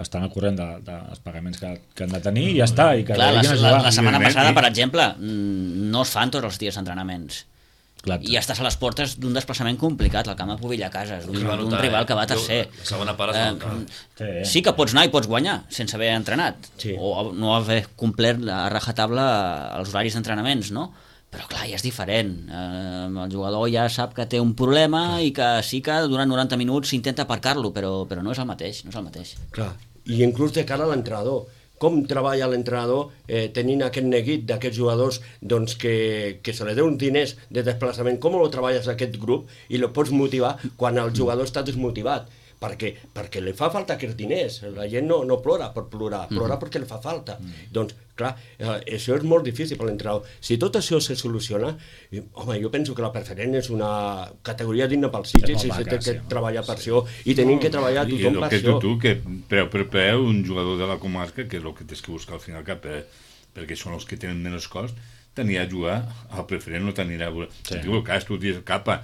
estan al corrent dels pagaments que han de tenir i ja està. Clar, la setmana passada, per exemple, no es fan tots els dies d'entrenaments. I estàs a les portes d'un desplaçament complicat, al camp de Pobilla Cases, d'un rival que va tercer. La segona part es va notar. Sí que pots anar i pots guanyar sense haver entrenat, o no haver complert a rajatabla els horaris d'entrenaments, no? Però clar, ja és diferent. El jugador ja sap que té un problema i que sí que durant 90 minuts s'intenta aparcar-lo, però no és el mateix, no és el mateix. Clar, i inclús de cara a l'entrenador. Com treballa l'entrenador tenint aquest neguit d'aquests jugadors doncs, que se li deu uns diners de desplaçament? Com ho treballes aquest grup i el pots motivar quan el jugador està desmotivat? Perquè li fa falta aquests diners. La gent no plora per plorar, plora perquè li fa falta. Doncs, clar, això és molt difícil per l'entrenador. Si tot això se soluciona, home, jo penso que la preferent és una categoria digna pels Sitges i s'ha de treballar per això i tenim que treballar tothom per això. I el que tu, que preu un jugador de la comarca, que és el que tens que buscar al final cap, perquè són els que tenen menys cost, t'anirà a jugar al preferent, no t'anirà a veure. Diu el cas, tu dius capa,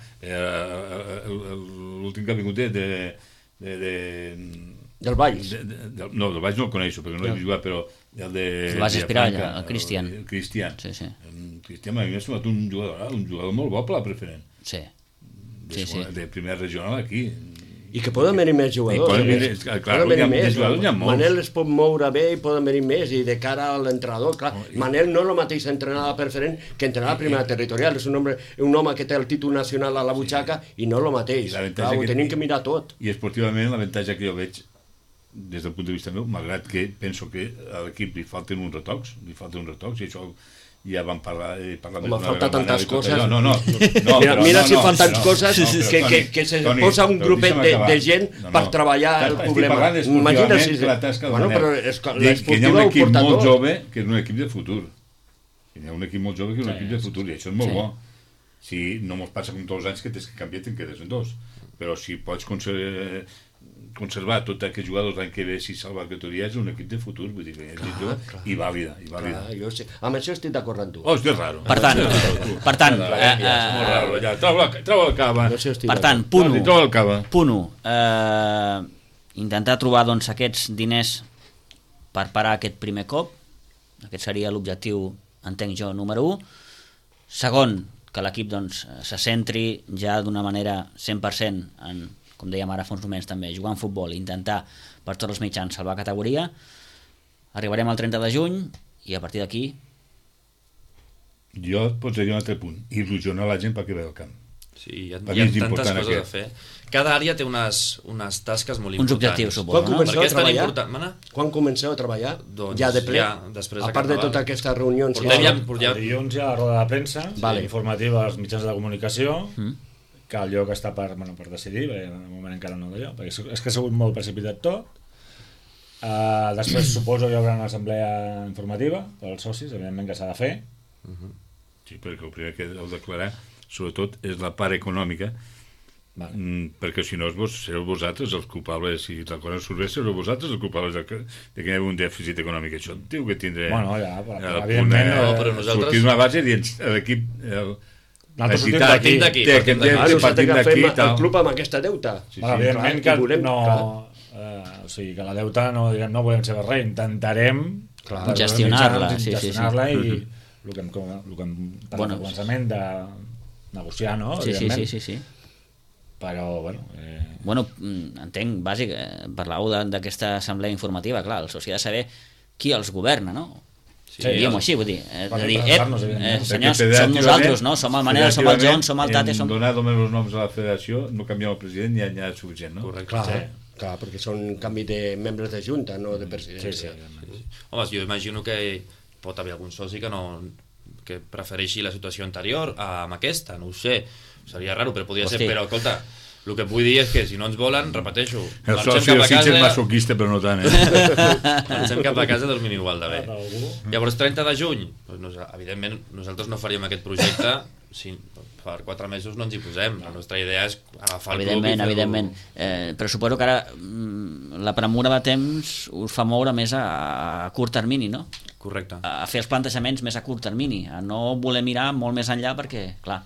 l'últim que ha vingut del Valls. No, del Valls no el coneixo, perquè no l'he jugat, però el de... El Valls Espiralla, el Cristian. El Cristian. Sí. El Cristian m'ha semblat un jugador molt bo per la preferent. Sí. De primera regional aquí. I que poden venir més jugadors. Clar, hi ha molts. Manel es pot moure bé i poden venir més, i de cara a l'entrenador, clar, Manel no és el mateix entrenar a la preferent que entrenar a la primera territorial, és un home que té el títol nacional a la butxaca i no és el mateix, clar, ho tenim que mirar tot. I esportivament l'avantatge que jo veig des del punt de vista meu, malgrat que penso que a l'equip li falten uns retocs, i això ja vam parlar home, falta tantes coses. Mira si fan tantes coses que se posa un grupet de gent per treballar el problema. Imagina si... Bueno, però que hi ha un equip molt jove que és un equip de futur. Hi ha un equip molt jove que és un equip de futur, i això és molt bo. Si no mos passa com tots els anys que tens que canviar, te'n quedes en dos. Però si pots conservar tots aquests jugadors l'any que ve, si salva la categoria, és un equip de futur, vull dir, i vàlida. Amb això estic d'acord amb tu. És raro. Per tant, troba el cava. Per tant, punt 1. Intentar trobar doncs, aquests diners per parar aquest primer cop. Aquest seria l'objectiu, entenc jo, número 1. Segon, que l'equip doncs, se centri ja d'una manera 100% en, com dèiem ara fa uns moments també, jugar en futbol i intentar per tots els mitjans salvar categoria. Arribarem al 30 de juny i a partir d'aquí... Jo posaria un altre punt, il·lusionar la gent perquè ve al camp. Sí, hi ha tantes coses a fer. Cada àrea té unes tasques molt importants. Uns objectius, suposo. Quan comenceu a treballar? Ja de ple? A part de totes aquestes reunions... Dilluns hi ha la roda de premsa informativa als mitjans de comunicació, que el lloc està per decidir, perquè de moment encara no d'allò, perquè és que ha sigut molt precipitat tot. Després suposo hi haurà una assemblea informativa per als socis, evidentment que s'ha de fer. Sí, perquè el primer que heu de declarar sobretot és la part econòmica, perquè si no sereu vosaltres els culpables, si la cosa surt bé, sereu vosaltres els culpables de que hi hagi un dèficit econòmic. Això diu que tindré evidentment, però nosaltres sortir d'una base i l'equip partim d'aquí el club amb aquesta deuta. Evidentment que no, o sigui, que la deuta no volem ser res, intentarem gestionar-la. Gestionar-la i el que hem parlat al començament de negociar, no? Sí. Però, Bueno, entenc, bàsic, parlàveu d'aquesta assemblea informativa, clar, el soci ha de saber qui els governa, no? Diguem-ho així, vull dir, senyors, som nosaltres, no? Som el Manel, som el John, som el Tate, som... Donar només els noms a la federació, no canviar el president, ja és suficient, no? Correcte. Clar, perquè són canvi de membres de junta, no de presidència. Home, jo imagino que pot haver algun soci que prefereixi la situació anterior amb aquesta, no ho sé, seria raro, però podria ser, però escolta, el que vull dir és que si no ens volen, repeteixo, el soci del Sitges és masoquista, però no tant, marxem cap a casa i dormim igual de bé. Llavors, 30 de juny, evidentment, nosaltres no faríem aquest projecte per 4 mesos no ens hi posem. La nostra idea és agafar el club i fer-ho... Evidentment. Però suposo que ara la premura de temps us fa moure més a curt termini, no? Correcte. A fer els plantejaments més a curt termini, a no voler mirar molt més enllà perquè, clar,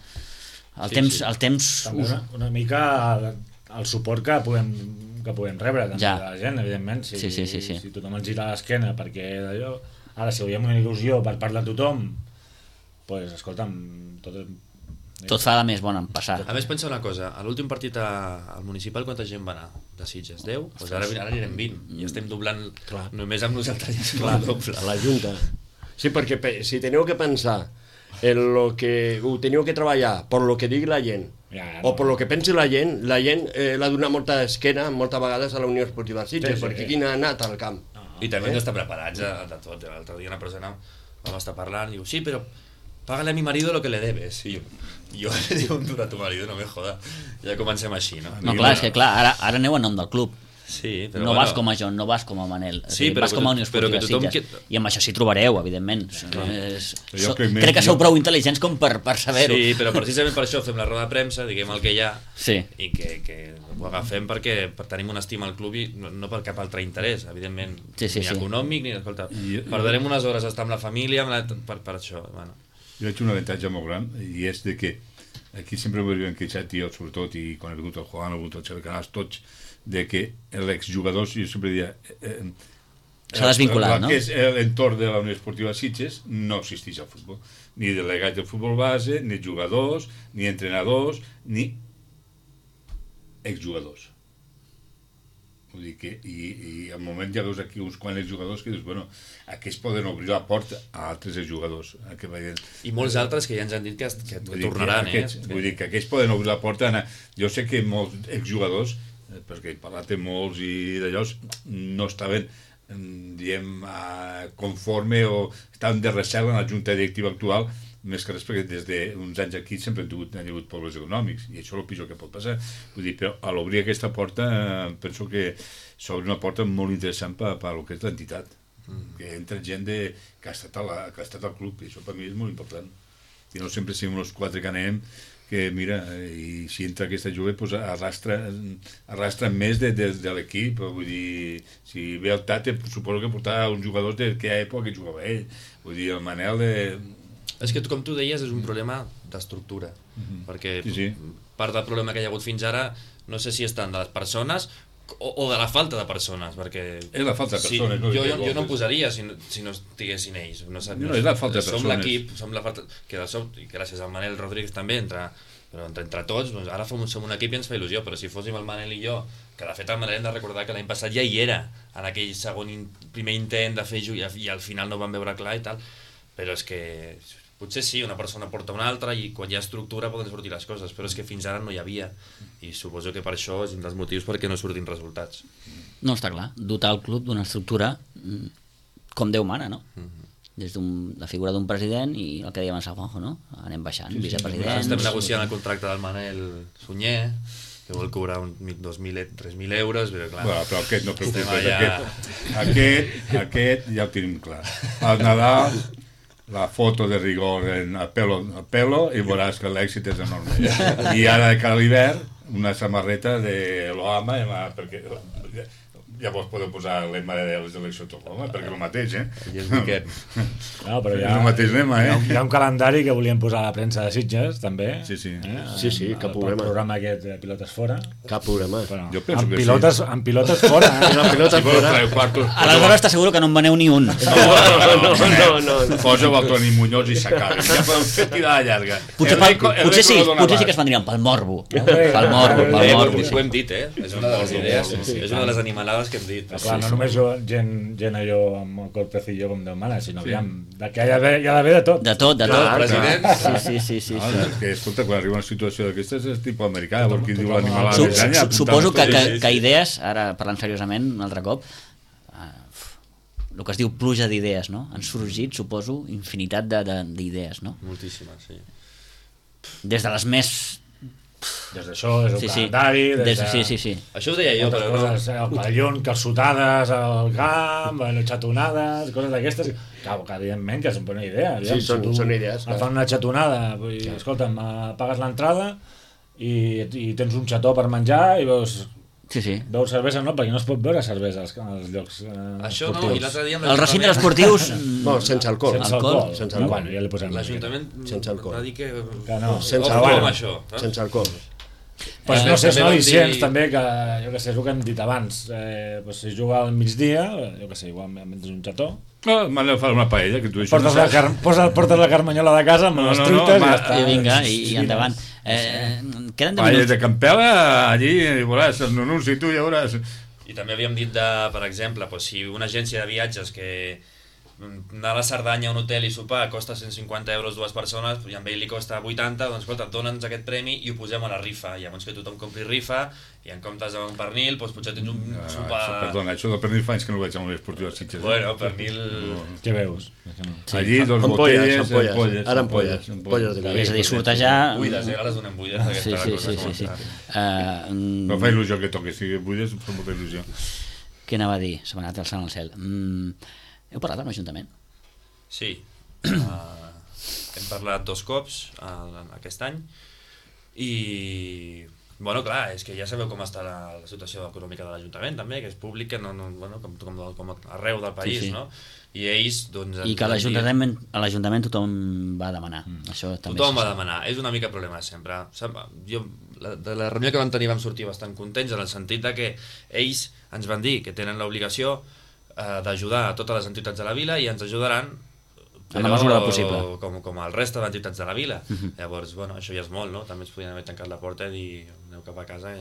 el temps... També una mica el suport que podem rebre també de la gent, evidentment. Si tothom ens gira l'esquena perquè d'allò... Ara, si veiem una il·lusió per part de tothom, doncs, escolta'm, tot fa de més bon en passar. A més, pensa una cosa, a l'últim partit al municipal quanta gent va anar? De Sitges? 10? Doncs ara anirem 20 i estem doblant només amb nosaltres el doble. A la Junta. Sí, perquè si teniu que pensar en lo que ho teniu que treballar per lo que digui la gent o per lo que pensi la gent l'ha donat molta esquena moltes vegades a la Unió Esportiva Sitges, perquè qui n'ha anat al camp. I també hem d'estar preparats de tot. L'altre dia una persona vam estar parlant i diu, sí, però págale a mi marido lo que le debes. I jo le digo a tu marido, no me joda. Ja comencem així, no? No, clar, és que ara aneu a nom del club. Sí, però no vas com a John, no vas com a Manel. Sí, vas com a Unió Esportiva Sitges. I amb això s'hi trobareu, evidentment. Crec que sou prou intel·ligents com per saber-ho. Sí, però precisament per això fem la roda de premsa, diguem el que hi ha, i que ho agafem perquè tenim una estima al club i no per cap altre interès, evidentment, ni econòmic, ni... Escolta, perdrem unes hores a estar amb la família per això. Jo veig un avantatge molt gran, i és de que aquí sempre m'ho havien queixat, jo sobretot, i quan he vingut el Juan, he vingut el Xavi Canals, tots, de que l'exjugadors, jo sempre dia... S'ha desvinculat, no? Que és l'entorn de la Unió Esportiva Sitges, no existeix al futbol. Ni delegats del futbol base, ni jugadors, ni entrenadors, ni exjugadors. Vull dir que, i al moment ja veus aquí uns quants jugadors que dius, bueno, aquests poden obrir la porta a altres jugadors. I molts altres que ja ens han dit que tornaran, Vull dir que aquests poden obrir la porta a anar... Jo sé que molts exjugadors, perquè he parlat amb molts i d'allò, no estaven, diguem, conforme o estaven de recel en la junta directiva actual, més que res perquè des d'uns anys aquí sempre han hagut problemes econòmics i això és el pitjor que pot passar. Vull dir, però a l'obrir aquesta porta penso que s'obre una porta molt interessant per al que és l'entitat, que entra gent que ha estat al club, i això per mi és molt important. I no sempre siguem els 4 que anem, que mira, i si entra aquesta jove pues arrastra més de l'equip. Vull dir, si ve el Tate suposo que portava uns jugadors de quina època que jugava ell. Vull dir, el Manel és que, com tu deies, és un problema d'estructura, perquè part del problema que hi ha hagut fins ara no sé si estan de les persones o de la falta de persones, perquè... És la falta de persones. Jo no em posaria si no estiguessin ells. No, és la falta de persones. Som l'equip, som la falta... i gràcies al Manel Rodríguez també, però entre tots, doncs ara som un equip i ens fa il·lusió, però si fóssim el Manel i jo, que de fet el Manel hem de recordar que l'any passat ja hi era, en aquell primer intent de fer i al final no vam veure clar i tal, però és que... Potser sí, una persona porta una altra i quan hi ha estructura poden sortir les coses, però és que fins ara no hi havia i suposo que per això és un dels motius perquè no surtin resultats. No, està clar, dotar el club d'una estructura com Déu mana, no? Des de la figura d'un president i el que dèiem a Juanjo, no? Anem baixant, vicepresidents... Estem negociant el contracte del Manel Sunyer, que vol cobrar 3.000 euros, però clar... Bueno, però aquest no preocupes, aquest ja ho tenim clar. Al Nadal... la foto de rigor en el pelo i veuràs que l'èxit és enorme. I ara de cara a l'hivern una samarreta de l'Oama perquè llavors podeu posar el lema de les eleccions tot l'home, perquè és el mateix, I és Miquel. No, però és el mateix lema, hi ha un calendari que volíem posar a la premsa de Sitges, també. Sí, sí. Sí, cap problema. El programa aquest de pilotes fora. Cap problema. Bueno, Jo penso que amb pilotes fora. La pilota fora. Aleshores t'asseguro que no en veneu ni un. No. Poseu el Toni Muñoz i s'acaba. Ja podem fer tirar llarga. Potser sí que es vendrien pel morbo. Pel morbo. Ho hem dit, és una de les idees, és una de les animalades que hem dit. Clar, no només gent allò amb el corpecillo com Déu mana, sinó que hi ha d'haver de tot. De tot. President. Sí. És que, escolta, quan arriba una situació d'aquestes és tipus americà, perquè diu l'animalada més allà. Suposo que idees, ara parlant seriosament un altre cop, el que es diu pluja d'idees, no? Han sorgit, suposo, infinitat d'idees, no? Moltíssimes, sí. Des de les més... Des d'això, des del calendari... Sí. Això ho deia jo, però no... El pavellón, calçotades al camp, xatonades, coses d'aquestes... Clar, que evidentment que és una bona idea. Sí, són idees. Et fan una xatonada, escolta'm, pagues l'entrada i tens un xató per menjar i veus... Sí. Veus cervesa, no? Perquè no es pot veure cervesa als llocs això no, i l'altre dia... Els recintes esportius... No, sense alcohol. Sense alcohol. Bueno, ja li posem... L'Ajuntament va dir que... no. Sense alcohol. Sense alcohol. Pues no sé, són al·licients també, que jo què sé, és el que hem dit abans, si juga al migdia, jo què sé, igual menys un xató, M'aneu a fer una paella, que tu això portes la carmanyola de casa amb les truites i ja està. I vinga, i endavant. Queden 10 paella minuts. de Campela, allí, veuràs, els nunus i tu ja veuràs. I també havíem dit, per exemple, si una agència de viatges que anar a la Cerdanya a un hotel i sopar costa 150 euros dues persones i amb ell li costa 80, doncs escolta, dona'ns aquest premi i ho posem a la rifa, llavors que tothom compri rifa i en comptes d'un pernil doncs potser tens un sopar... Perdona, això del pernil fa anys que no ho veig a l'Unió Esportiva de Sitges. Bueno, pernil... Què veus? Allí, dos botelles, ara ampolles de vi. És a dir, sortejar... Buides, ara les donem buides. Sí. No fa il·lusió que toqui, si buides fa molta il·lusió. Què anava a dir? Se m'ha anat el sant al cel. Heu parlat amb l'Ajuntament? Sí, hem parlat 2 cops aquest any i, bueno, clar, és que ja sabeu com està la situació econòmica de l'Ajuntament també, que és públic, que bueno, com arreu del país, sí. No? I ells, doncs... I que a l'Ajuntament tothom va demanar. Això també tothom va demanar, és una mica problema sempre. Jo, de la reunió que vam tenir vam sortir bastant contents en el sentit de que ells ens van dir que tenen l'obligació d'ajudar a totes les entitats de la vila i ens ajudaran en la mesura possible com el reste d'entitats de la vila. Llavors, bueno, això ja és molt, no? També ens podien haver tancat la porta i dir aneu cap a casa.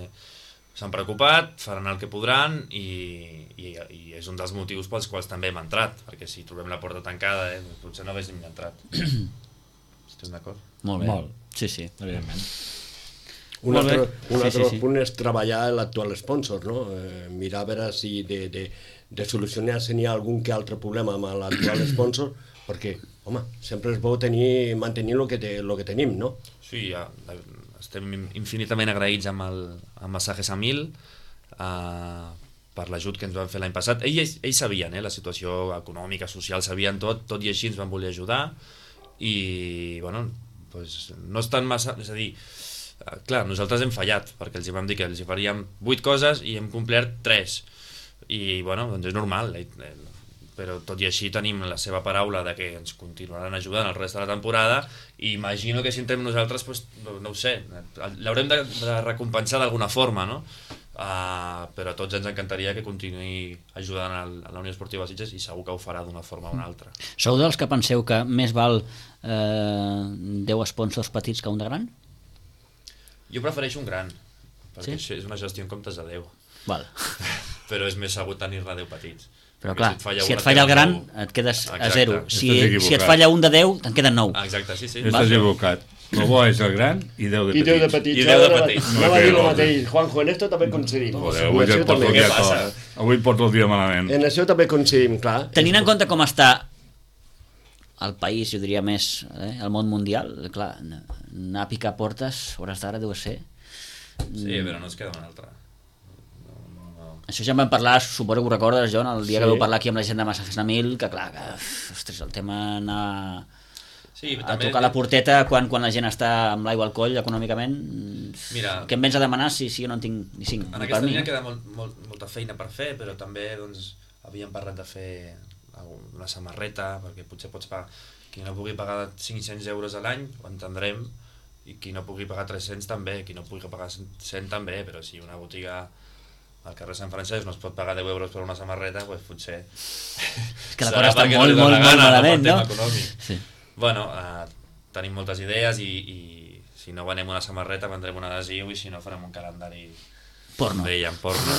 S'han preocupat, faran el que podran i és un dels motius pels quals també hem entrat, perquè si trobem la porta tancada potser no haguéssim entrat. Estàs d'acord? Molt bé. Sí, evidentment. Un altre punt és treballar l'actual sponsor, no? Mirar a veure si de solucionar si n'hi ha algun que altre problema amb l'actual sponsor, perquè, home, sempre és bo mantenir el que tenim, no? Sí, estem infinitament agraïts amb Massajes a 1000 per l'ajut que ens van fer l'any passat. Ells sabien la situació econòmica, social, sabien tot i així ens van voler ajudar i, bueno, doncs no estan massa... És a dir, clar, nosaltres hem fallat, perquè els vam dir que els faríem 8 coses i hem complert 3. I, bueno, doncs és normal, però tot i així tenim la seva paraula de que ens continuaran ajudant el rest de la temporada i imagino que si entrem nosaltres, doncs, no ho sé, l'haurem de recompensar d'alguna forma, no? Però a tots ens encantaria que continuï ajudant a la Unió Esportiva de Sitges i segur que ho farà d'una forma o una altra. Sou dels que penseu que més val 10 sponsors petits que un de gran? Jo prefereixo un gran, perquè és una gestió en comptes de 10. Val. Però és més segur tenir-ne 10 petits. Però clar, si et falla el gran, et quedes a 0. Si et falla un de 10, te'n queden 9. Exacte, sí. Estàs equivocat. El bo és el gran i 10 de petits. I 10 de petits. I 10 de petits. No va dir el mateix. Juanjo, en esto també coincidim. Avui porto el dia malament. En això també coincidim, clar. Tenint en compte com està el país, jo diria més, el món mundial, clar, anar a picar portes, hores d'ara deu ser... Sí, però no es queda una altra. Això ja en vam parlar, suposo que ho recordes, John, el dia que vau parlar aquí amb la gent de Massajes a 1000, que clar, ostres, el tema anar... Sí, a tocar la porteta quan la gent està amb l'aigua al coll econòmicament. Mira, què em vens a demanar si jo no en tinc ni 5? En aquesta línia queda molta feina per fer, però també doncs, havíem parlat de fer una samarreta, perquè potser pots pagar, qui no pugui pagar 500 euros a l'any, ho entendrem, i qui no pugui pagar 300 també, qui no pugui pagar 100 també, però si una botiga al carrer Sant Francesc no es pot pagar 10 euros per una samarreta, doncs potser... És que la cosa està molt malament, no? Sí. Bueno, tenim moltes idees i si no venem una samarreta vendrem un adhesiu i si no farem un calendari porno. Porno.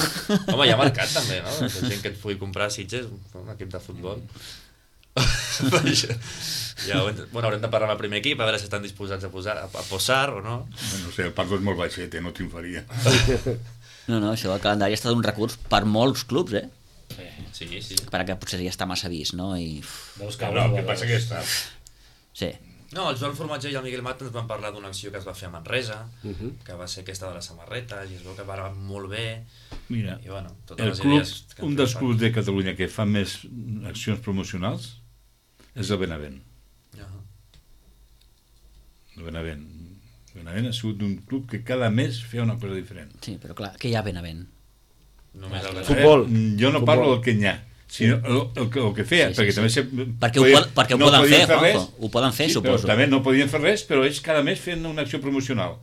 Home, hi ha mercat també, no? La gent que et pugui comprar a Sitges, un equip de futbol. Ja, bueno, haurem de parlar amb el primer equip a veure si estan disposats a posar o no. No sé, el Paco és molt baixet, no triomfaria. No, això del calendari ha estat un recurs per molts clubs, Sí. Perquè potser ja està massa vist, no? I... No, el que passa que està... Sí. No, el Joan Formatger i el Miguel Mata ens van parlar d'una acció que es va fer a Manresa, que va ser aquesta de les samarretes, i es veu que va molt bé. Mira, i, bueno, totes les idees un dels clubs de Catalunya que fa més accions promocionals és el Benavent. El Benavent ha sigut un club que cada mes feia una cosa diferent. Sí, però clar, què hi ha a Benavent? Futbol. Jo no parlo del que hi ha, sinó el que feia, perquè també... Perquè ho poden fer, Juanjo, ho poden fer, suposo. També no podien fer res, però ells cada mes feien una acció promocional.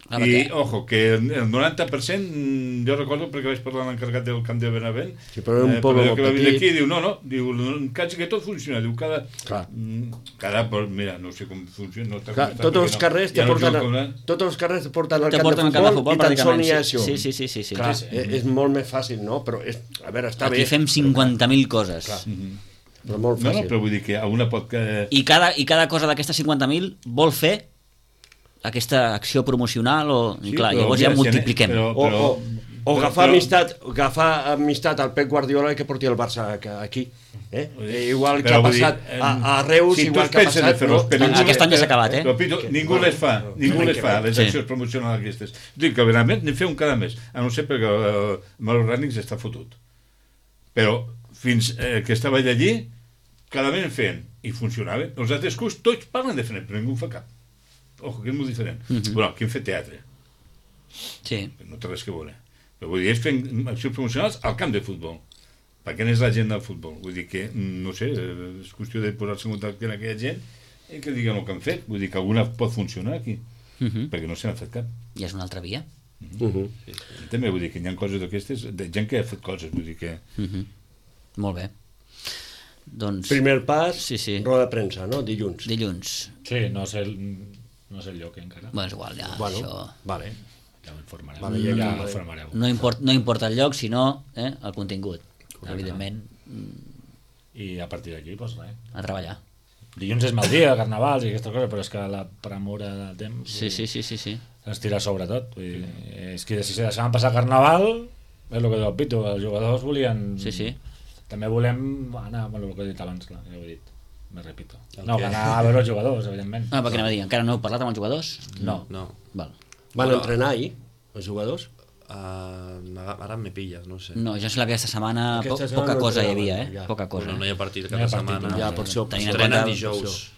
I, ojo, que el 90%, jo recordo perquè vaig parlar amb l'encarregat del camp de Benavent, però un poble que va venir aquí, diu, diu, quasi que tot funciona, diu, mira, no sé com funciona. Tots els carrers te porten al camp de futbol i tan sols n'hi ha això. Sí. Clar, és molt més fàcil, no? Però, a veure, està bé. Aquí fem 50.000 coses. Però molt fàcil. No, però vull dir que alguna pot... I cada cosa d'aquestes 50.000 vol fer aquesta acció promocional clar, llavors ja multipliquem. O agafar amistat al Pep Guardiola que porti el Barça aquí. Igual que ha passat a Reus, igual que ha passat... Aquest any ja s'ha acabat, Ningú les fa, les accions promocionals aquestes. Dic que realment n'hi feu un cada mes, a no ser perquè el Mauro Rànix està fotut. Però fins que estava allí, cada mes en feien, i funcionava. Els altres clubs tots parlen de fer, però ningú fa cap. Ojo, que és molt diferent. Bueno, aquí hem fet teatre. Sí. No té res que veure. Però vull dir, ells fent accions promocionals al camp de futbol. Perquè n'és la gent del futbol. Vull dir que, no sé, és qüestió de posar-se en contacte amb aquella gent i que diguen el que han fet. Vull dir que alguna pot funcionar aquí. Perquè no se n'ha fet cap. I és una altra via. També vull dir que hi ha coses d'aquestes, de gent que ha fet coses, vull dir que... Molt bé. Doncs... Primer pas, roda de premsa, no? Dilluns. Sí, no sé el lloc encara. Bueno, és igual, ja, això... Vale. Ja ho informareu. Ja ho informareu. No importa el lloc, sinó el contingut. Evidentment. I a partir d'aquí, doncs res. A treballar. Dilluns és mal dia, carnavals i aquestes coses, però és que la premura del temps... Sí. Ens tira sobre tot. És que si se deixaven passar carnaval, és el que diu el Pitu, els jugadors volien... Sí. També volem anar, el que he dit abans, clar, ja ho he dit. Me repito. No, anar a veure els jugadors, evidentment. Perquè anem a dir, encara no heu parlat amb els jugadors? No. Val. Van entrenar ahir, els jugadors? Ara me pilles, no sé. No, jo sé que aquesta setmana poca cosa hi havia, Poca cosa. No hi ha partit cada setmana. Ja, per això. Entrenen dijous.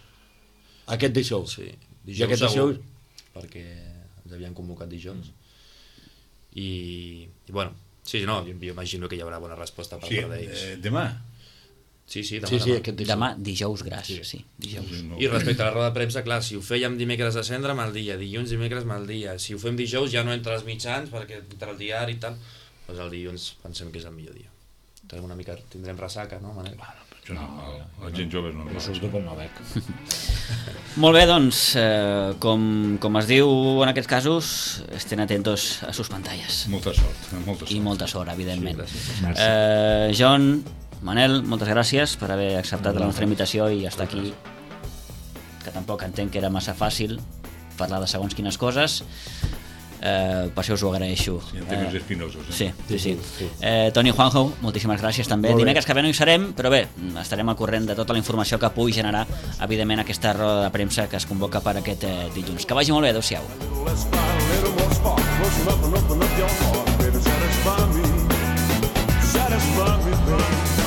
Aquest dijous? Sí. Dijous segur. Perquè ens havien convocat dijous. I bueno, sí, no, jo imagino que hi haurà bona resposta per part d'ells. Demà? Sí, demà dijous gras, dijous. I respecte a la roda de premsa, clar, si ho fèiem dimecres a cendre, mal dia, dilluns, dimecres, mal dia. Si ho fem dijous ja no entra als mitjans, perquè entra el diari i tal, doncs el dilluns pensem que és el millor dia. Tindrem ressaca, no, Manel? No, la gent jove no. Jo surto pel no bec. Molt bé, doncs, com es diu en aquests casos, estén atentos a sus pantalles. Molta sort. I molta sort, evidentment. Sí, John, Manel, moltes gràcies per haver acceptat la nostra invitació i estar aquí, que tampoc entenc que era massa fàcil parlar de segons quines coses. Per això us ho agraeixo. Sí, en temes espinosos. Sí. Toni, Juanjo, moltíssimes gràcies també. Dimecres que ve no hi serem, però bé, estarem al corrent de tota la informació que pugui generar, evidentment, aquesta roda de premsa que es convoca per aquest dilluns. Que vagi molt bé, adeu-siau. Satisfy me, baby.